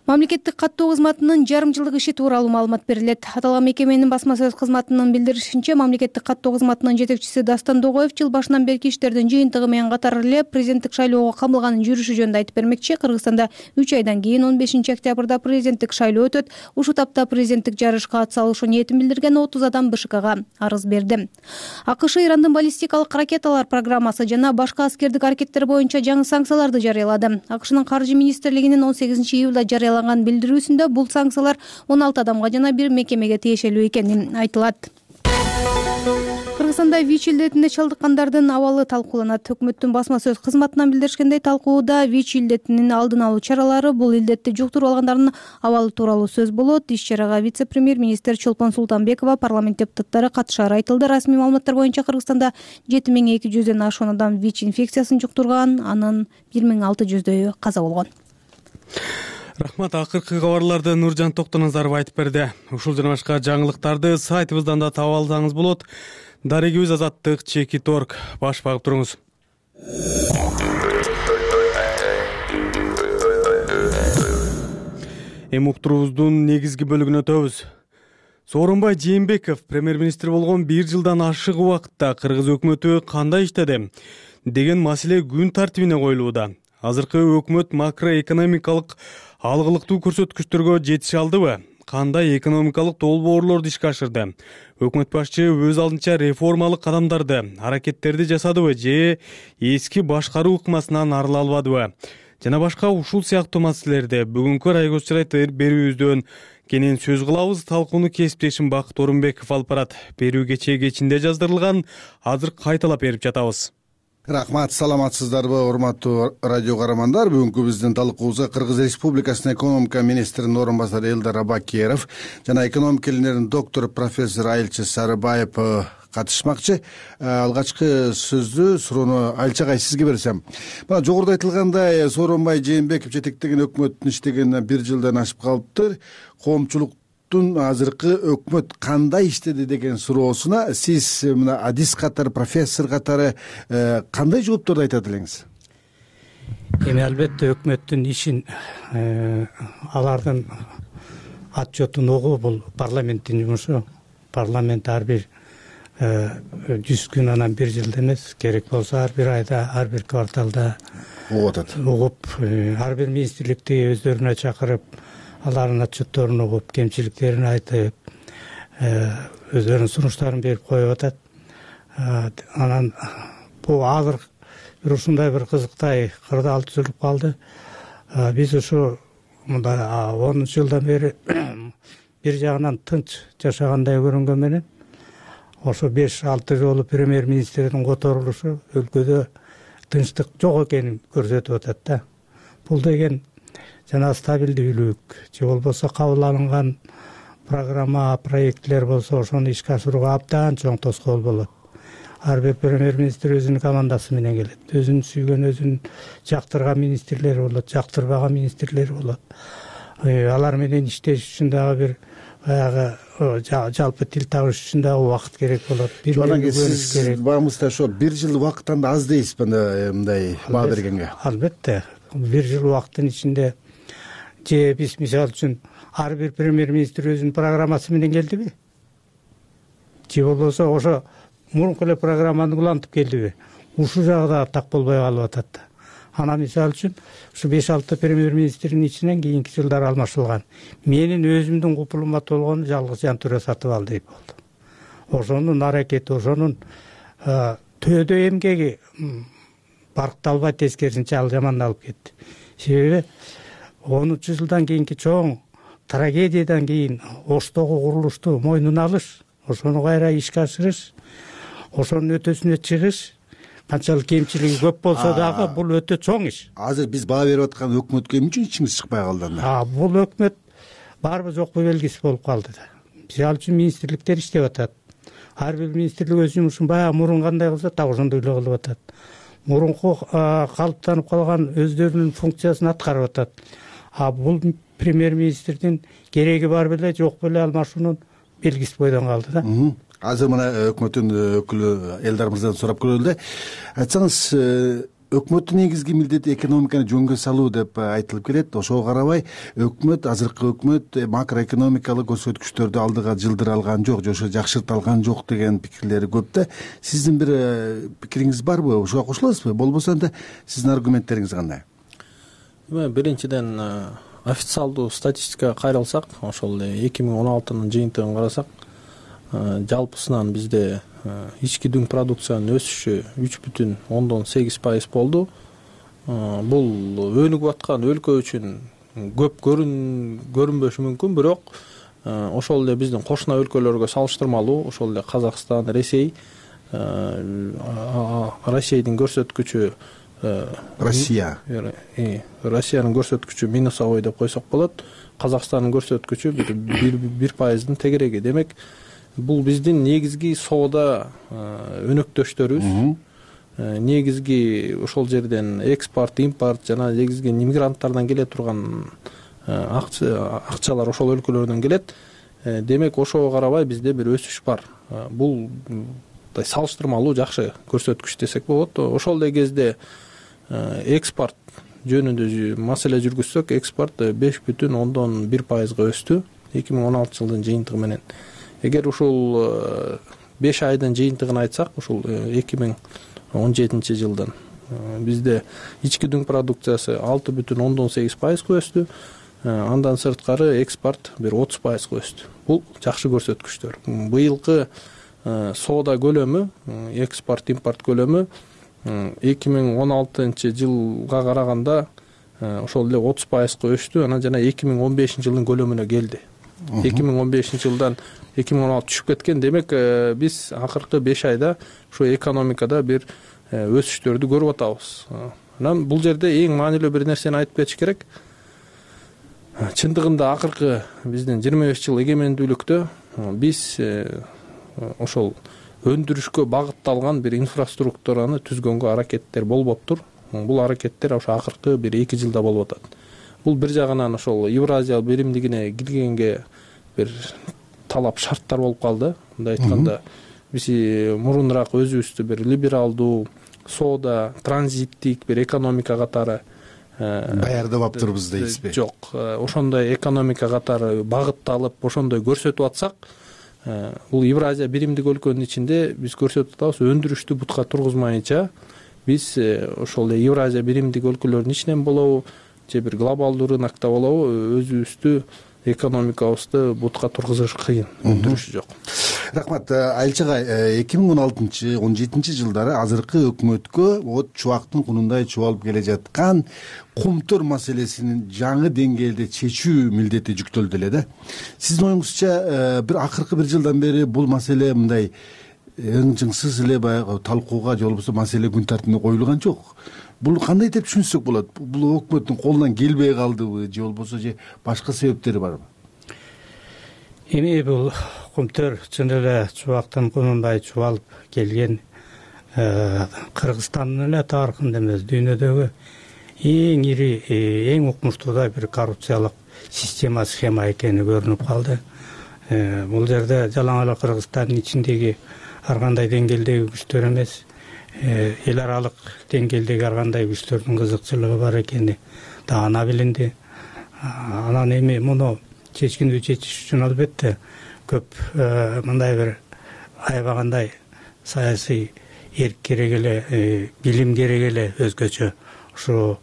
Мамлекеттик каттоо кызматынын жарым жылдык иши тууралуу маалымат берилет. Аталган мекеменин басма сөз кызматынын билдиришинче, мамлекеттик каттоо кызматынын жетекчиси Дастан Догоев жыл башынан берки иштердин жыйынтыгы менен катар эле президенттик шайлоого камылганын жүрүшү жөнүндө айтып бермекчи. Кыргызстанда үч айдан кийин он бешинчи октябрда президенттик шайлоо өтөт. Ушул тапта президенттик жарышка атсалышуу ниетин билдирген отуз адам БШКга арыз берди. АКШ Ирандын баллистикалык ракеталар программасы жана башка аскердик аракеттер боюнча жаңы санкцияларды жарыялады. АКШнын каржы министрлигинин он сегизинчи июлда жарыялаган билдирүүсүндө бул санкциялар он алты адамга жана бир мекемеге тиешелүү экени айтылат. Кыргызстанда ВИЧ илдетине чалдыккандардын абалы талкууланат. Өкмөттүн басма сөз кызматынан билдиришкендей, талкууда ВИЧ илдетинин алдын алуу чаралары, бул илдетти жуктуруп алгандардын абалы тууралуу сөз болот. Иш-чарага вице-премьер-министр Чолпон Султанбекова, парламент депутаттары катышары айтылды. Расмий маалыматтар боюнча Кыргызстанда жети миң эки жүздөн ашуун адам ВИЧ инфекциясын жуктурган, анын бир миң алты жүздөйү каза болгон. Рахмат. Акыркы кабарларды Нуржан Токтоназаров айтып берди. Ушул жана башка жаңылыктарды сайтыбыздан да таап алсаңыз болот. Дарегибиз Азаттык чеки торг. Баш багып туруңуз. Эми уктуруубуздун негизги бөлүгүнө өтөбүз. Сооронбай Жээнбеков премьер-министр болгон бир жылдан ашык убакытта Кыргыз өкмөтү кандай иштеди деген маселе күн тартибине коюлууда. Азыркы өкмөт макроэкономикалык алгылыктуу көрсөткүчтөргө жетише алдыбы? Кандай экономикалык долбоорлорду ишке ашырды? Өкмөт башчы өз алдынча реформалык кадамдарды, аракеттерди жасадыбы же эски башкаруу ыкмасынан арыла албадыбы? Жана башка ушул сыяктуу маселелерди бүгүнкү Райгоз Чырайт берүүбүздөн кенен сөз кылабыз. Талкууну кесиптешим Бакыт Орунбеков алып барат. Берүү кечээ кечинде жаздырылган, азыр кайталап берип жатабыз. Рахмат, саламатсыздарбы урматтуу радио каармандар. Бүгүнкү биздин талкуубузга Кыргыз Республикасынын экономика министринин орун басары Элдар Абакеров жана экономика илимдеринин доктору профессор Айылчы Сарыбаев катышмакчы. Алгачкы сөздү суроону Айылчагай сизге берсем. Мына жогоруда айтылгандай, Сооронбай Жээнбеков жетектеген өкмөттүн иштегенине бир жылдан ашып калыптыр. Коомчулуктун азыркы өкмөт кандай иштеди деген суроосуна сиз мына адис катары, профессор катары кандай жоопторду айтат элеңиз? Эми албетте өкмөттүн ишин алардын отчетун угуу бул парламенттин жумушу. Парламент ар бир жүз күн анан бир жылда эмес, керек болсо ар бир айда, ар бир кварталда угуп атат. Угуп, ар бир министрликти өздөрүнө чакырып, алардын отчетторун угуп, кемчиликтерин айтып, өздөрүнүн сунуштарын берип коюп атат. Анан бул азыр бир ушундай бир кызыктай кырдаал түзүлүп калды. Биз ушу мында онунчу жылдан бери бир жагынан тынч жашагандай көрүнгөн менен ошо беш алты жолу премьер-министрдин которулушу өлкөдө тынчтык жок экенин көрсөтүп атат да. Бул деген жана стабилдүүлүк же болбосо кабыл алынган программа, проектлер болсо ошону ишке ашырууга абдан чоң тоскоол болот. Ар бир премьер-министр өзүнүн командасы менен келет. Өзүн сүйгөн, өзүн жактырган министрлери болот, жактырбаган министрлери болот. Алар менен иштеш үчүн дагы бир баягы жалпы тил табыш үчүн дагы убакыт керек болот. Бир көрүш керек. Багымызда ошо бир жыл убакыттан да аз дейсизби мындай баа бергенге? Албетте. Бир жыл убакыттын ичинде же биз мисалы үчүн ар бир премьер-министр өзүнүн программасы менен келдиби? Же болбосо ошо мурунку эле программаны улантып келдиби? Ушул жагы да так болбой калып атат. Анан мисалы үчүн ушу беш алты премьер-министрдин ичинен кийинки жылдары алмашылган. Менин өзүмдүн купулума толгону жалгыз Жантүрө Сатыбалдиев болду. Ошонун аракети, ошонун төөдө эмгеги баркталбай, тескерисинче ал жамандалып кетти. Себеби онунчу жылдан кийинки чоң трагедиядан кийин Оштогу курулушту мойнуна алыш, ошону кайра ишке ашырыш, ошонун өтөсүнө чыгыш, канчалык кемчилиги көп болсо дагы бул өтө чоң иш. Азыр биз баа берип аткан өкмөткө эмне үчүн ичиңиз чыкпай калды анда? Бул өкмөт барбы жокпу белгисиз болуп калды да. Мисалы үчүн министрликтер иштеп атат. Ар бир министрлик өз жумушун баягы мурун кандай кылса так ошондой эле кылып атат. Мурунку калыптанып калган өздөрүнүн функциясын аткарып атат. А бул премьер-министрдин кереги бар беле, жок беле алмашуунун белгиси бойдон калды да. Азыр мына өкмөттүн өкүлү Элдар мырзадан сурап көрөлү эле. Айтсаңыз, өкмөттүн негизги милдети экономиканы жөнгө салуу деп айтылып келет. Ошого карабай өкмөт, азыркы өкмөт макроэкономикалык көрсөткүчтөрдү алдыга жылдыра алган жок, же ошо жакшырта алган жок деген пикирлери көп да. Сиздин бир пикириңиз барбы? Ошого кошуласызбы? Болбосо анда сиздин аргументтериңиз кандай? Биринчиден официалдуу статистикага кайрылсак, ошол эки миң он алтынын жыйынтыгын карасак, жалпысынан бизде ички дүң продукциянын өсүшү үч бүтүн ондон сегиз пайыз болду. Бул өнүгүп аткан өлкө үчүн көп көрүнбөшү мүмкүн, бирок ошол эле биздин кошуна өлкөлөргө салыштырмалуу, ошол эле Казакстан, Ресей, Россиянын көрсөткүчү Россия. Россиянын көрсөткүчү минусовой деп койсок болот. Казакстандын көрсөткүчү бир пайыздын тегереги. Демек, бул биздин негизги соода өнөктөштөрүбүз. негизги ошол жерден экспорт импорт жана негизги мигранттардан келе турган акчалар ошол өлкөлөрдөн келет. Демек ошого карабай бизде бир өсүш бар. Бул салыштырмалуу жакшы көрсөткүч десек болот. Ошол эле кезде экспорт жөнүндө маселе жүргүзсөк, экспорт беш бүтүн ондон бир пайызга өстү эки миң он алтынчы жылдын жыйынтыгы менен. Эгер ушул беш айдын жыйынтыгын айтсак, ушул эки миң он жетинчи жылдын бизде ички дүң продукциясы алты бүтүн ондон сегиз пайызга өстү. Андан сырткары экспорт бир отуз пайызга өстү. Бул жакшы көрсөткүчтөр. Быйылкы соода көлөмү, экспорт импорт көлөмү эки миң он алтынчы жылга караганда ошол эле отуз пайызга өстү. Анан жана эки миң он бешинчи жылдын көлөмүнө келди. эки миң он бешинчи жылдан эки миң он алты түшүп кеткен. Демек биз акыркы беш айда ушу экономикада бир өсүштөрдү көрүп атабыз. Анан бул жерде эң маанилүү бир нерсени айтып кетиш керек. Чындыгында акыркы биздин жыйырма беш жыл эгемендүүлүктө биз ошол өндүрүшкө багытталган бир инфраструктураны түзгөнгө аракеттер болбоптур. Бул аракеттер ошо акыркы бир эки жылда болуп атат. Бул бир жагынан ошол Евразия биримдигине киргенге бир талап шарттар болуп калды. Мындай айтканда, биз мурунураак өзүбүздү бир либералдуу, соода, транзиттик бир экономика катары даярдап аптырбыз дейсизби? Жок, ошондой экономика катары багытталып, ошондой көрсөтүп атсак, бул Евразия биримдик өлкөнүн ичинде биз көрсөтүп атабыз, өндүрүштү бутка тургузмайынча биз ошол эле Евразия биримдик өлкөлөрүнүн ичинен болобу, же бир глобалдуу рынокто болобу, өзүбүздү экономикабызды бутка тургузуш кыйын, өндүрүш жок. Рахмат. Айылчы агай, эки миң он алтынчы он жетинчи жылдары азыркы өкмөткө вот чубактын кунундай чубалып келе жаткан кумтөр маселесинин жаңы деңгээлде чечүү милдети жүктөлдү эле да. Сиздин оюңузча бир акыркы бир жылдан бери бул маселе мындай ыңжыңсыз эле баягы талкууга же болбосо маселе күн тартибине коюлган жок. Бул кандай деп түшүнсөк болот? Бул өкмөттүн колунан келбей калдыбы же болбосо же башка себептери барбы? Эми бул кумтөр чын эле чубактын кунундай чубалып келген Кыргызстандын эле тарыхында эмес, дүйнөдөгү эң ири, эң укмуштуу бир коррупциялык система, схема экени көрүнүп калды. Бул жерде жалаң эле Кыргызстандын ичиндеги ар кандай деңгээлдеги күчтөр эмес, эл аралык деңгээлдеги ар кандай күчтөрдүн кызыкчылыгы бар экени да ана билинди. Анан эми муну чечкиндүү чечиш үчүн албетте көп мындай бир аябагандай саясий эрк керек эле, билим керек эле, өзгөчө ушу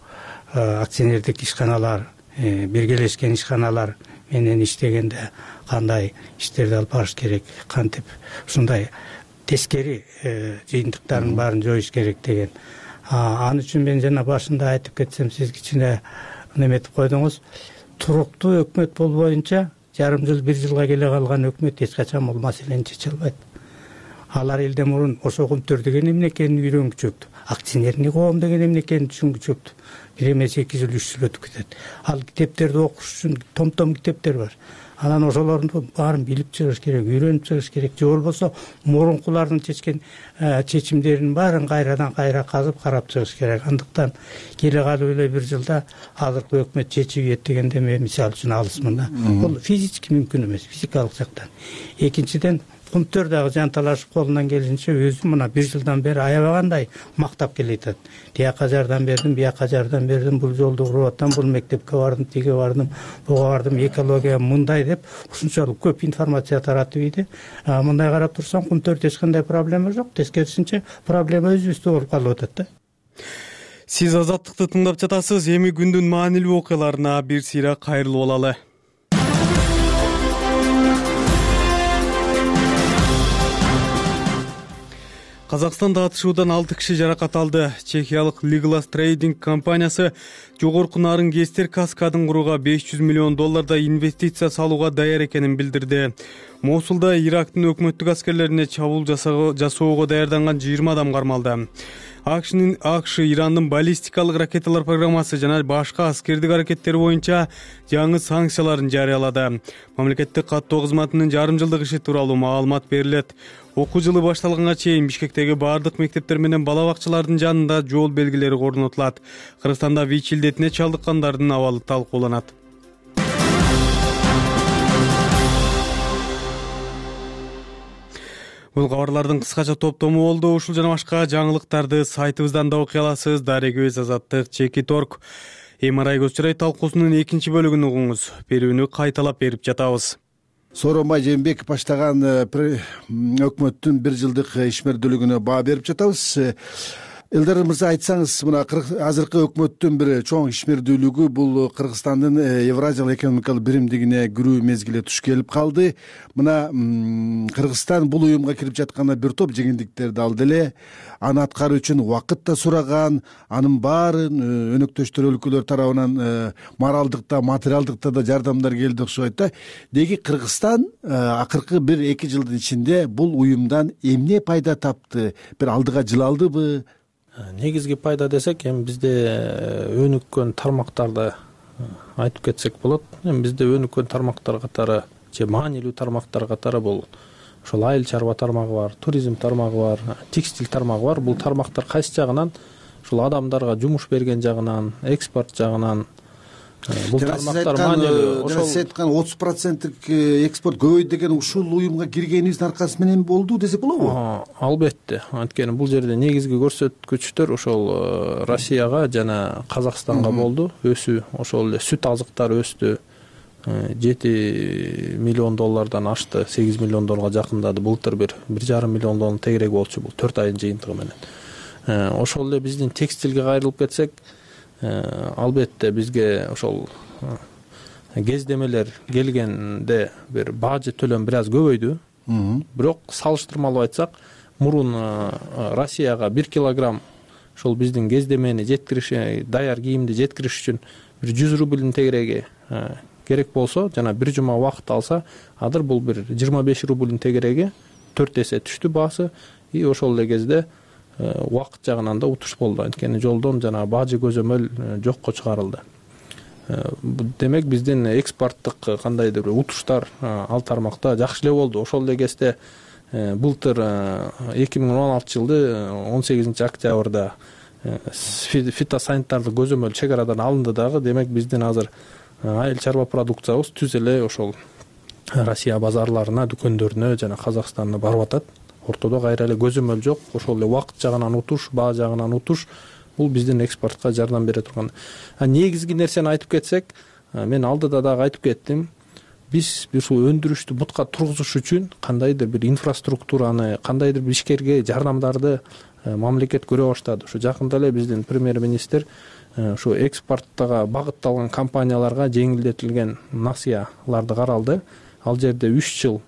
акционердик ишканалар, биргелешкен ишканалар менен иштегенде кандай иштерди алып барыш керек, кантип ушундай тескери жыйынтыктардын баарын жоюш керек деген. Ал үчүн мен жана башында айтып кетсем, сиз кичине неметип койдуңуз. Туруктуу өкмөт болбоюнча жарым жыл, бир жылга келе калган өкмөт эч качан бул маселени чече албайт. Алар элден мурун ошо кумтөр деген эмне экенин үйрөнгүчөктү, акционерный коом деген эмне экенин түшүнгүчөктү. Бир эмес эки жыл, үч жыл өтүп кетет. Ал китептерди окуш үчүн том-том китептер бар. Анан ошолордун баарын билип чыгыш керек, үйрөнүп чыгыш керек. Же болбосо мурункулардын чечкен чечимдеринин баарын кайрадан кайра казып карап чыгыш керек. Андыктан келе калып эле бир жылда азыркы өкмөт чечип ийет дегенде мен мисал үчүн алысмын да. Бул физически мүмкүн эмес, физикалык жактан. Экинчиден, кумтөр дагы жанталашып колунан келишинче өзү мына бир жылдан бери аябагандай мактап келатат. Тияка жардам бердим, бияка жардам бердим, бул жолду куруп атам, бул мектепке бардым, тиге бардым, буга бардым, экология мындай деп ушунчалык көп информация таратып ийди. Мындай карап турсаң, кумтөрдө эч кандай проблема жок, тескерисинче проблема өзүбүздө болуп калып атат да. Сиз Азаттыкты тыңдап жатасыз. Эми күндүн маанилүү окуяларына бир сыйра кайрылып алалы. Казакстанда атышуудан алты киши жаракат алды. Чехиялык Legolas Trading компаниясы жогорку нарын кестер каскадын курууга беш жүз миллион доллардай инвестиция салууга даяр экенин билдирди. Мосулда Ирактын өкмөттүк аскерлерине чабуул жасоого даярданган жыйырма адам кармалды. акшнын акш Ирандын баллистикалык ракеталар программасы жана башка аскердик аракеттери боюнча жаңы санкцияларын жарыялады. Мамлекеттик каттоо кызматынын жарым жылдык иши тууралуу маалымат берилет. Окуу жылы башталганга чейин Бишкектеги баардык мектептер менен бала бакчалардын жанында жол белгилери орнотулат. Кыргызстанда ВИЧ илдетине чалдыккандардын абалы талкууланат. Бул кабарлардын кыскача топтому болду. Ушул жана башка жаңылыктарды сайтыбыздан да окуй аласыз. Дарек көз азаттык чекит точка орг. эм ар ай көз чырай талкуусунун экинчи бөлүгүн угуңуз. Берүүнү кайталап берип жатабыз. Сооронбай Жээнбеков баштаган өкмөттүн бир жылдык ишмердүүлүгүнө баа берип жатабыз. Элдар мырза, айтсаңыз, мына азыркы өкмөттүн бир чоң ишмердүүлүгү бул Кыргызстандын Евразиялык экономикалык биримдигине кирүү мезгили туш келип калды. Мына Кыргызстан бул уюмга кирип жатканда бир топ жеңилдиктерди алды эле. Аны аткаруу үчүн убакыт да сураган, анын баарын өнөктөштөр өлкөлөр тарабынан моралдык да, материалдык да жардамдар келди окшойт да. Деги Кыргызстан акыркы бир эки жылдын ичинде бул уюмдан эмне пайда тапты? Бир алдыга жылалдыбы? Негизги пайда десек, эми бизде өнүккөн тармактарды айтып кетсек болот. Эми бизде өнүккөн тармактар катары, же маанилүү тармактар катары бул ошол айыл чарба тармагы бар, туризм тармагы бар, текстиль тармагы бар. Бул тармактар кайсы жагынан ушул адамдарга жумуш берген жагынан, экспорт жагынан бул тармактар маанилүү. Ошол сиз айткан отуз проценттик экспорт көбөйдү деген ушул уюмга киргенибиздин аркасы менен болду десек болобу? Албетте. Анткени бул жерде негизги көрсөткүчтөр ошол Россияга жана Казакстанга болду. Өсүү, ошол эле сүт азыктары өстү. жети миллион доллардан ашты, сегиз миллион долларга жакындады. Былтыр бир бир жарым миллион доллар тегерек болчу бул төрт айдын жыйынтыгы менен. Ошол эле биздин текстилге кайрылып кетсек, албетте бизге ошол кездемелер келгенде бир бажы төлөм бир аз көбөйдү. Бирок салыштырмалуу айтсак, мурун Россияга бир килограмм ошол биздин кездемени жеткириш, даяр кийимди жеткириш үчүн бир жүз рублдун тегереги керек болсо, жана бир жума убакыт алса, азыр бул бир жыйырма беш рублдун тегереги төрт эсе түштү баасы. И ошол эле кезде убакыт жагынан да утуш болду. Анткени жолдон жана бажы көзөмөл жокко чыгарылды. Демек биздин экспорттук кандайдыр бир утуштар ал тармакта жакшы эле болду. Ошол эле кезде былтыр эки миң он алтынчы жылды он сегизинчи октябрда фитосанитардык көзөмөл чек арадан алынды дагы. Демек биздин азыр айыл чарба продукциябыз түз эле ошол Россия базарларына, дүкөндөрүнө жана Казакстанга барып атат. Ортодо кайра эле көзөмөл жок. Ошол эле убакыт жагынан утуш, баа жагынан утуш бул биздин экспортко жардам бере турган. А негизги нерсени айтып кетсек, мен алдыда дагы айтып кеттим. Биз ушул өндүрүштү бутка тургузуш үчүн кандайдыр бир инфраструктураны, кандайдыр бир ишкерге жардамдарды мамлекет көрө баштады. Ушу жакында эле биздин премьер-министр ушу экспорттага багытталган компанияларга жеңилдетилген насыяларды каралды. Ал жерде үч жыл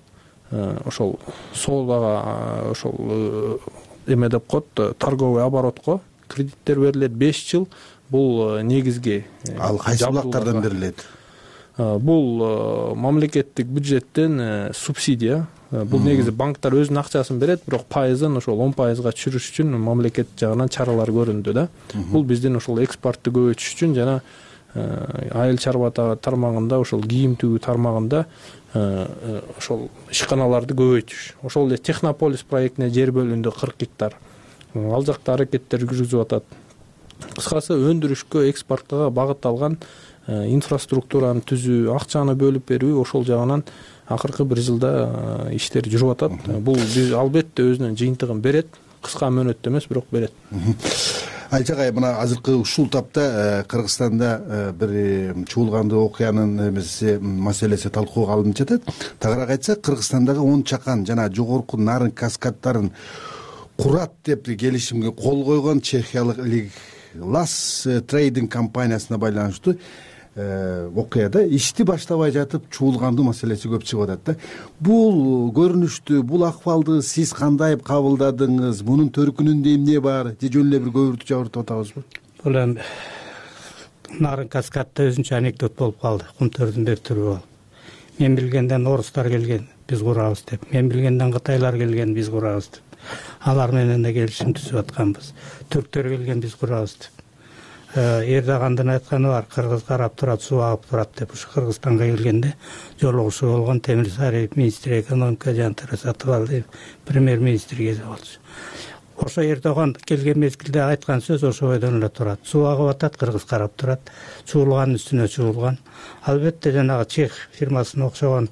ошол соодага ошол эме деп коет, торговый оборотко кредиттер берилет. беш жыл бул негизги. Ал кайсы булактардан берилет? Бул мамлекеттик бюджеттен субсидия. Бул негизи банктар өзүнүн акчасын берет, бирок пайызын ошол он пайызга түшүрүш үчүн мамлекет жагынан чаралар көрүндү да. Бул биздин ошол экспортту көбөйтүш үчүн жана айыл чарба тармагында, ошол кийим тигүү тармагында ошол ишканаларды көбөйтүш. Ошол эле Технополис проектине жер бөлүндү кырк гектар. Ал жакта аракеттер жүргүзүп атат. Кыскасы өндүрүшкө, экспортко багытталган инфраструктураны түзүү, акчаны бөлүп берүү, ошол жагынан акыркы бир жылда иштер жүрүп атат. Бул биз албетте өзүнүн жыйынтыгын берет. Кыска мөөнөттө эмес, бирок берет. Айчагай, мына азыркы ушул тапта Кыргызстанда бир чуулгандуу окуянын эмеси маселеси талкууга алынып жатат. Тагыраак айтсак, Кыргызстандагы он чакан жана жогорку нарын каскаддарын курат деп келишимге кол койгон чехиялык Лас трейдинг компаниясына байланыштуу окуяда ишти баштабай жатып чуулгандуу маселеси көп чыгып атат да. Бул көрүнүштү, бул акыбалды сиз кандай кабылдадыңыз? Мунун төркүнүндө эмне бар? Же жөн эле бир көбүртүп жабыртып атабызбы? Бул эми нарын каскадда өзүнчө анекдот болуп калды. Кумтөрдүн бир түрү бол. Мен билгенден орустар келген, биз курабыз деп. Мен билгенден кытайлар келген, биз курабыз деп. алар менен да келишим түзүп атканбыз. Түрктөр келген биз курабыз деп. Эрдогандын айтканы бар, кыргыз карап турат, суу агып турат деп. Ушу Кыргызстанга келгенде жолугушуу болгон Темирсариев министр экономика Жантара Сатыбалдиев премьер-министр кезде болчу. Ошо Эрдоган келген мезгилде айткан сөз ошо бойдон эле турат. Суу агып атат, кыргыз карап турат. Чуулганын үстүнө чуулган. Албетте жанагы чех фирмасына окшогон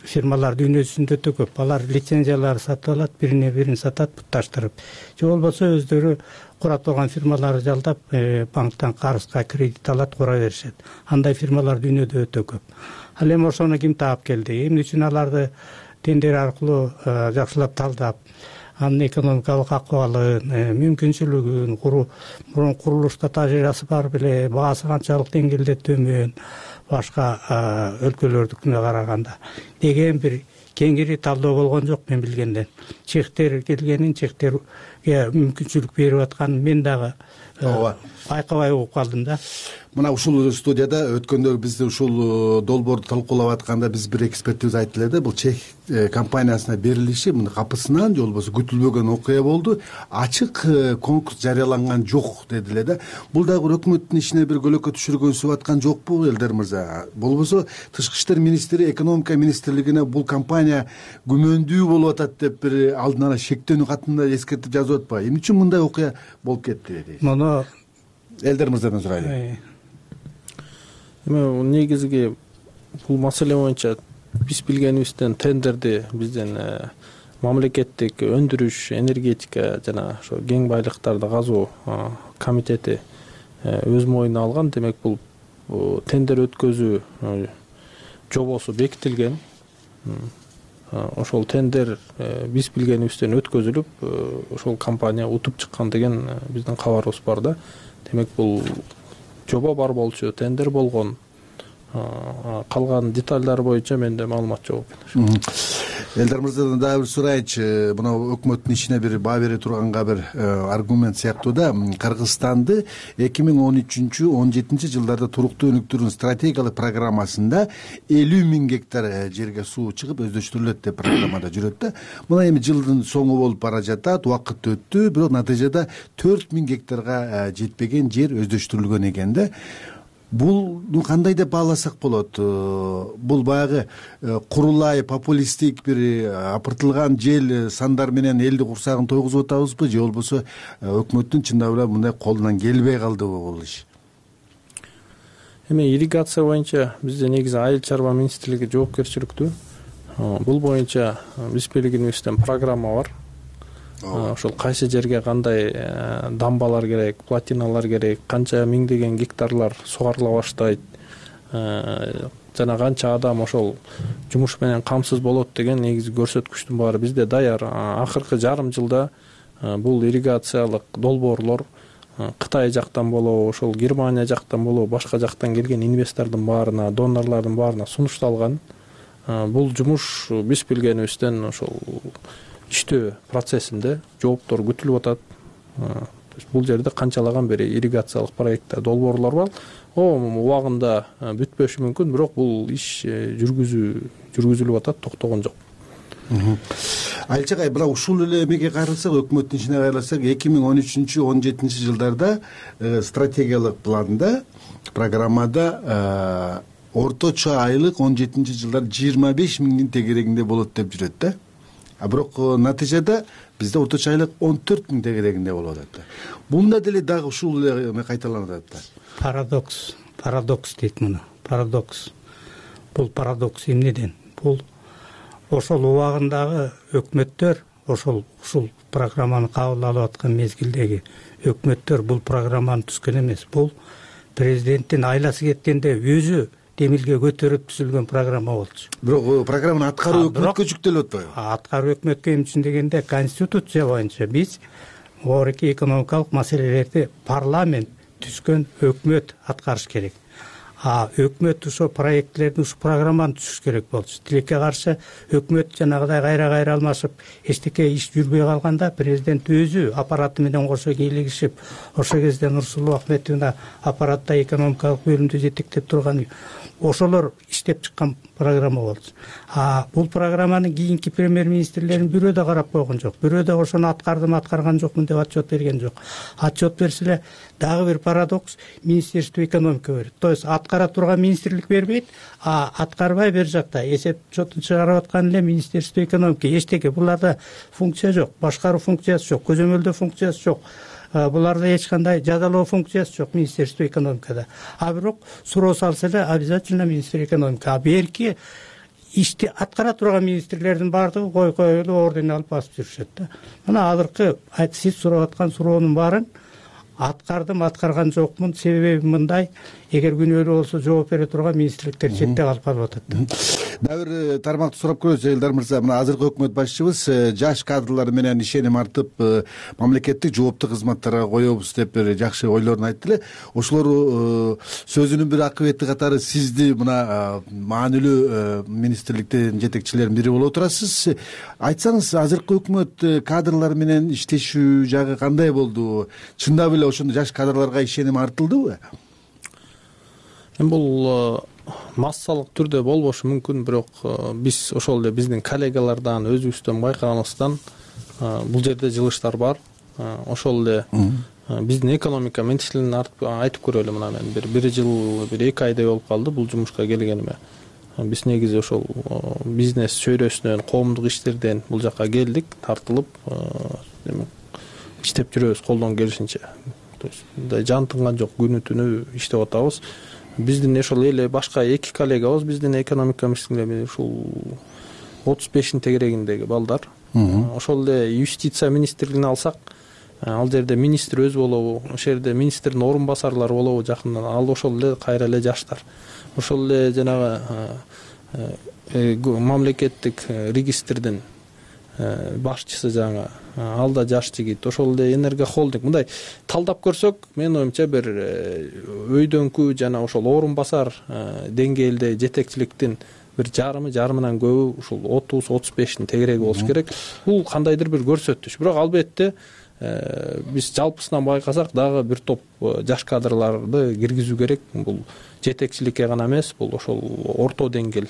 фирмалар дүйнөсүндө өтө көп. Алар лицензияларды сатып алат, бирине бирин сатат бутташтырып. Же болбосо өздөрү курат болгон фирмаларды жалдап, банктан карызга кредит алат, кура беришет. Андай фирмалар дүйнөдө өтө көп. Ал эми ошону ким таап келди? Эмне үчүн аларды тендер аркылуу жакшылап талдап, анын экономикалык акыбалын, мүмкүнчүлүгүн, мурун курулушта тажрыйбасы бар беле, баасы канчалык деңгээлде төмөн, башка өлкөлөрдүкүнө караганда деген бир кеңири талдоо болгон жок мен билгенден. Чехтер келгенин, чехтерге мүмкүнчүлүк берип атканын мен дагы байкабай угуп калдым да. Мына ушул студияда өткөндө биз ушул долбоорду талкуулап атканда биз бир экспертибиз айтты эле да, бул чех компаниясына берилиши мына капысынан же болбосо күтүлбөгөн окуя болду. Ачык конкурс жарыяланган жок деди эле да. Бул дагы бир өкмөттүн ишине бир көлөкө түшүргөнсүп аткан жокпу Элдер мырза? Болбосо тышкы иштер министри, экономика министрлигине бул компания күмөндүү болуп атат деп бир алдын ала шектенүү катында эскертип жазып атпайбы? Эмне үчүн мындай окуя болуп кетти дейсиз? Муну Элдер мырзадан сурайлы. Эми негизги бул маселе боюнча биз билгенибизден тендерди бизден мамлекеттик өндүрүш, энергетика жана ошо кең байлыктарды казуу комитети өз мойнуна алган. Демек бул тендер өткөзүү жобосу бекитилген. Ошол тендер биз билгенибизден өткөзүлүп, ошол компания утуп чыккан деген биздин кабарыбыз бар да. Демек бул жоба бар болчу, тендер болгон. Калган детальдары боюнча менде маалымат жок. Элдер мырзадан дагы бир сурайынчы. Мына өкмөттүн ишине бир баа бере турганга бир аргумент сыяктуу да. Кыргызстанды эки миң он үчүнчү он жетинчи жылдарда туруктуу өнүктүрүүнүн стратегиялык программасында элүү миң гектар жерге суу чыгып өздөштүрүлөт деп программада жүрөт да. Мына эми жылдын соңу болуп бара жатат, убакыт өттү, бирок натыйжада төрт миң гектарга жетпеген жер өздөштүрүлгөн экен да. Булну кандай деп бааласак болот? Бул баягы курулай популисттик бир апыртылган жел сандар менен элди курсагын тойгузуп атабызбы, же болбосо өкмөттүн чындап эле мындай колунан келбей калдыбы бул иш? Эми ирригация боюнча бизде негизи айыл чарба министрлиги жоопкерчиликтүү. Бул боюнча биз белгилегенибизден программа бар. Ошол кайсы жерге кандай дамбалар керек, плотиналар керек, канча миңдеген гектарлар сугарыла баштайт, жана канча адам ошол жумуш менен камсыз болот деген негизи көрсөткүчтүн баары бизде даяр. Акыркы жарым жылда бул ирригациялык долбоорлор Кытай жактан болобу, ошол Германия жактан болобу, башка жактан келген инвестордун баарына, донорлордун баарына сунушталган. Бул жумуш биз билгенибизден ошол иштөө процессинде жооптор күтүлүп атат. Бул жерде канчалаган бери ирригациялык проекттер, долбоорлор бар. О, убагында бүтпөшү мүмкүн, бирок бул иш жүргүзүү жүргүзүлүп атат, токтогон жок. Айылчагай, мына ушул эле эмеге кайрылсак, өкмөттүн ишине кайрылсак, эки миң он үчүнчү он жетинчи жылдарда стратегиялык планда, программада орточо айлык он жетинчи жылдар жыйырма беш миңдин тегерегинде болот деп жүрөт да. А бирок натыйжада бизде орточо айлык он төрт миң тегерегинде болуп атат. Бунда деле дагы ушул эме кайталанып атат да. Парадокс, парадокс дейт муну. Парадокс. Бул парадокс эмнеден? Бул ошол убагындагы өкмөттөр, ошол ушул программаны кабыл алып аткан мезгилдеги өкмөттөр бул программаны түзгөн эмес. Бул президенттин айласы кеткенде өзү демилге көтөрүп түзүлгөн программа болчу. Бирок программаны аткаруу өкмөткө жүктөлүп атпайбы? Аткаруу өкмөткө эмне үчүн дегенде, конституция боюнча биз орки экономикалык маселелерди парламент түзгөн өкмөт аткарыш керек. А өкмөт ошо проектлерди, ушу программаны түзүш керек болчу. Тилекке каршы өкмөт жанагыдай кайра-кайра алмашып, эчтеке иш жүрбөй калганда президент өзү аппараты менен кошо кийлигишип, ошол кезде Нурсулуу Ахметовна аппаратта экономикалык бөлүмдү жетектеп турган ошолор иштеп чыккан программа болчу. А бул программаны кийинки премьер министрлердин бирөө да карап койгон жок, бирөө да ошону аткардым аткарган жокмун деп отчет берген жок. Отчет берсе эле дагы бир парадокс, министерство экономика берет. То есть аткара турган министрлик бербейт, а аткарбай бер жакта эсеп отчетун чыгарып аткан эле министерство экономика. Эчтеке буларда функция жок, башкаруу функциясы жок, көзөмөлдөө функциясы жок. Буларда эч кандай жазалоо функциясы жок министерство экономикада. А бирок суроо салса эле обязательно министр экономика. А берки ишти аткара турган министрлердин баардыгы кой коюлуп орден алып басып жүрүшөт да. Мына азыркы сиз сурап аткан суроонун баарын аткардым аткарган жокмун, себеби мындай: эгер күнөөлүү болсо жооп бере турган министрликтер четте калып калып атат да. Дагы бир тармакты сурап көрөбүз Элдар мырза. Мына азыркы өкмөт башчыбыз жаш кадрлар менен ишеним артып, мамлекеттик жооптуу кызматтарга коебуз деп бир жакшы ойлорун айтты эле. Ошолор сөзүнүн бир акыбети катары сизди мына маанилүү министрликтин жетекчилеринин бири болуп турасыз. Айтсаңыз, азыркы өкмөт кадрлар менен иштешүү жагы кандай болду? Чындап эле ошондой жаш кадрларга ишеним артылдыбы? Эми бул массалык түрдө болбошу мүмкүн, бирок биз ошол эле биздин коллегалардан, өзүбүздөн байкаганыбыздан бул жерде жылыштар бар. Ошол эле биздин экономика менчилин айтып көрөлү. Мына мен бир бир жыл, бир эки айдай болуп калды бул жумушка келгениме. Биз негизи ошол бизнес чөйрөсүнөн, коомдук иштерден бул жака келдик, тартылып иштеп жүрөбүз колдон келишинче. То есть мындай жан тынган жок, күнү түнү иштеп атабыз. Биздин ошол эле башка эки коллегабыз, биздин экономика министрлиги ушул отуз бештин тегерегиндеги балдар. Ошол эле юстиция министрлигин алсак, ал жерде министр өзү болобу, ошол жерде министрдин орун басарлары болобу жакындан, ал ошол эле кайра эле жаштар. Ошол эле жанагы мамлекеттик регистрдин башчысы жаңы, ал да жаш жигит. Ошол эле энергохолдинг. Мындай талдап көрсөк, менин оюмча бир өйдөнкү жана ошол орун басар деңгээлде жетекчиликтин бир жарымы, жарымынан көбү ушул отуз отуз бештин тегереги болуш керек. Бул кандайдыр бир көрсөтүш. Бирок албетте биз жалпысынан байкасак дагы бир топ жаш кадрларды киргизүү керек. Бул жетекчиликке гана эмес, бул ошол орто деңгээл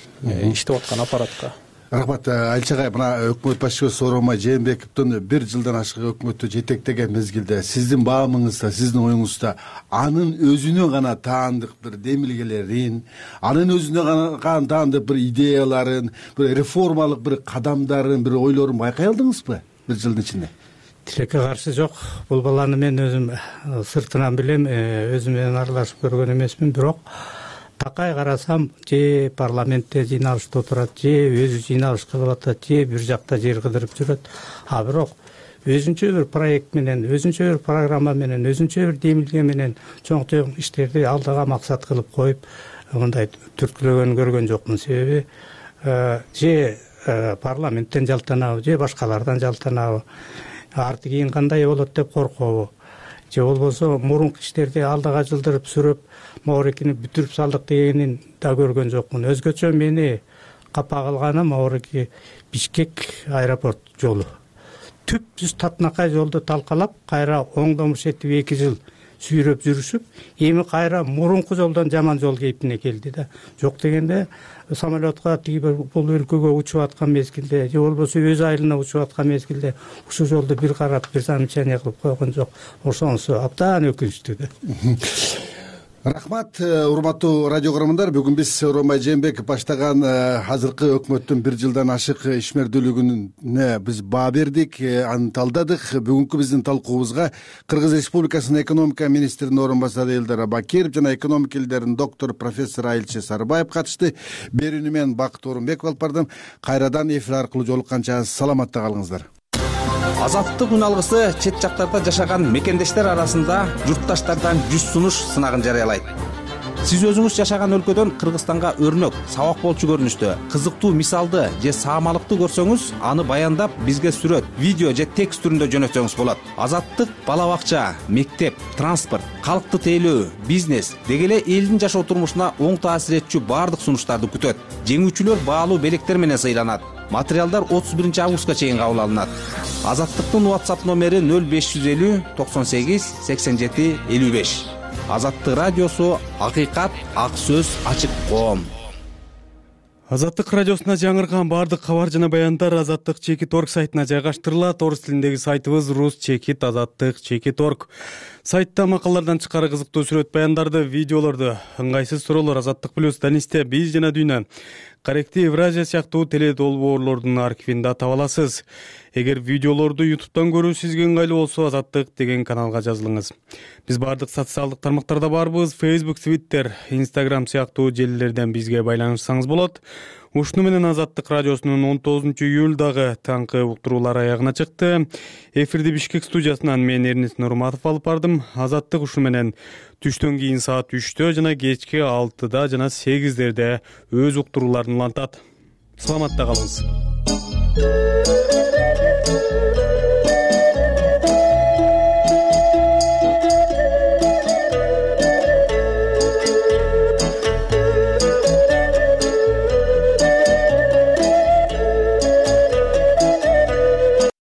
иштеп аткан аппаратка. Рахмат. Алчагай, мына өкмөт башчыбыз Сооронбай Жээнбековдун бир жылдан ашык өкмөттү жетектеген мезгилде сиздин баамыңызда, сиздин оюңузда анын өзүнө гана таандык бир демилгелерин, анын өзүнө гана таандык бир идеяларын, бир реформалык бир кадамдарын, бир ойлорун байкай алдыңызбы бир жылдын ичинде? Тилекке каршы жок. Бул баланы мен өзүм сыртынан билем, өзүм менен аралашып көргөн эмесмин, бирок такай карасам, же парламентте жыйналышта отурат, же өзү жыйналыш кылып атат, же бир жакта жер кыдырып жүрөт. А бирок өзүнчө бир проект менен, өзүнчө бир программа менен, өзүнчө бир демилге менен чоң чоң иштерди алдыга максат кылып коюп, мындай түрткүлөгөнүн көргөн жокмун. Себеби же парламенттен жалтанабы, же башкалардан жалтанабы, арты кийин кандай болот деп коркобу, же болбосо мурунку иштерди алдыга жылдырып сүрөп Маурикини бүтүрүп салдык дегенин да көргөн жокмун. Өзгөчө мени капа кылганы Маурики Бишкек аэропорт жолу. Түп жүз татынакай жолду талкалап, кайра оңдомуш этип эки жыл сүйрөп жүрүшүп, эми кайра мурунку жолдон жаман жол кейпине келди да. Жок дегенде самолетка тиги бул өлкөгө учуп аткан мезгилде, же болбосо өз айылына учуп аткан мезгилде ушул жолду бир карап, бир замечание кылып койгон жок. Ошонусу абдан өкүнүчтүү да. Рахмат, урматтуу радио көрөрмандар. Бүгүн биз Сооронбай Жээнбеков баштаган азыркы өкмөттүн бир жылдан ашык ишмердүүлүгүнө биз баа бердик, аны талдадык. Бүгүнкү биздин талкуубузга Кыргыз Республикасынын экономика министринин орун басары Элдар Абакиров жана экономика илдеринин доктор профессор Айылчы Сарыбаев катышты. Берүүнү мен Бакыт Орунбеков алып бардым. Кайрадан эфир аркылуу жолукканча саламатта калыңыздар. Азаттык үн алгысы чет жактарда жашаган мекендештер арасында журтташтардан жүз сунуш сынагын жарыялайт. Сиз өзүңүз жашаган өлкөдөн Кыргызстанга өрнөк, сабак болчу көрүнүштө кызыктуу мисалды же саамалыкты көрсөңүз, аны баяндап бизге сүрөт, видео же текст түрүндө жөнөтсөңүз болот. Азаттык бала бакча, мектеп, транспорт, калкты тейлөө, бизнес деги эле элдин жашоо турмушуна оң таасир этчү баардык сунуштарды күтөт. Жеңүүчүлөр баалуу белектер менен сыйланат. Материалдар отуз биринчи августка чейин кабыл алынат. Азаттыктын WhatsApp номери нөл беш жүз элүү токсон сегиз сексен жети элүү беш. Азаттык радиосу, акыйкат, ак сөз, ачык коом. Азаттык радиосуна жаңырган баардык кабар жана баяндар Азаттык чекит орг сайтына жайгаштырылат. Орус тилиндеги сайтыбыз рус чекит азаттык чекит орг. Сайтта макалалардан тышкары кызыктуу сүрөт баяндарды, видеолорду, ыңгайсыз суроолор, Азаттык плюс, Данисте, Биз жана Дүйнө, Корректив, Евразия сыяктуу теле долбоорлордун архивинде таба аласыз. Эгер видеолорду ютубтан көрүү сизге ыңгайлуу болсо, Азаттык деген каналга жазылыңыз. Биз баардык социалдык тармактарда барбыз. Facebook, Twitter, Instagram сыяктуу желилерден бизге байланышсаңыз болот. Ушуну менен Азаттык радиосунун он тогузунчу июлдагы таңкы уктуруулары аягына чыкты. Эфирди Бишкек студиясынан мен Эрнис Нурматов алып бардым. Азаттык ушуну менен түштөн кийин саат үчтө жана кечки алтыда жана сегиздерде өз уктурууларын улантат. Саламатта калыңыз.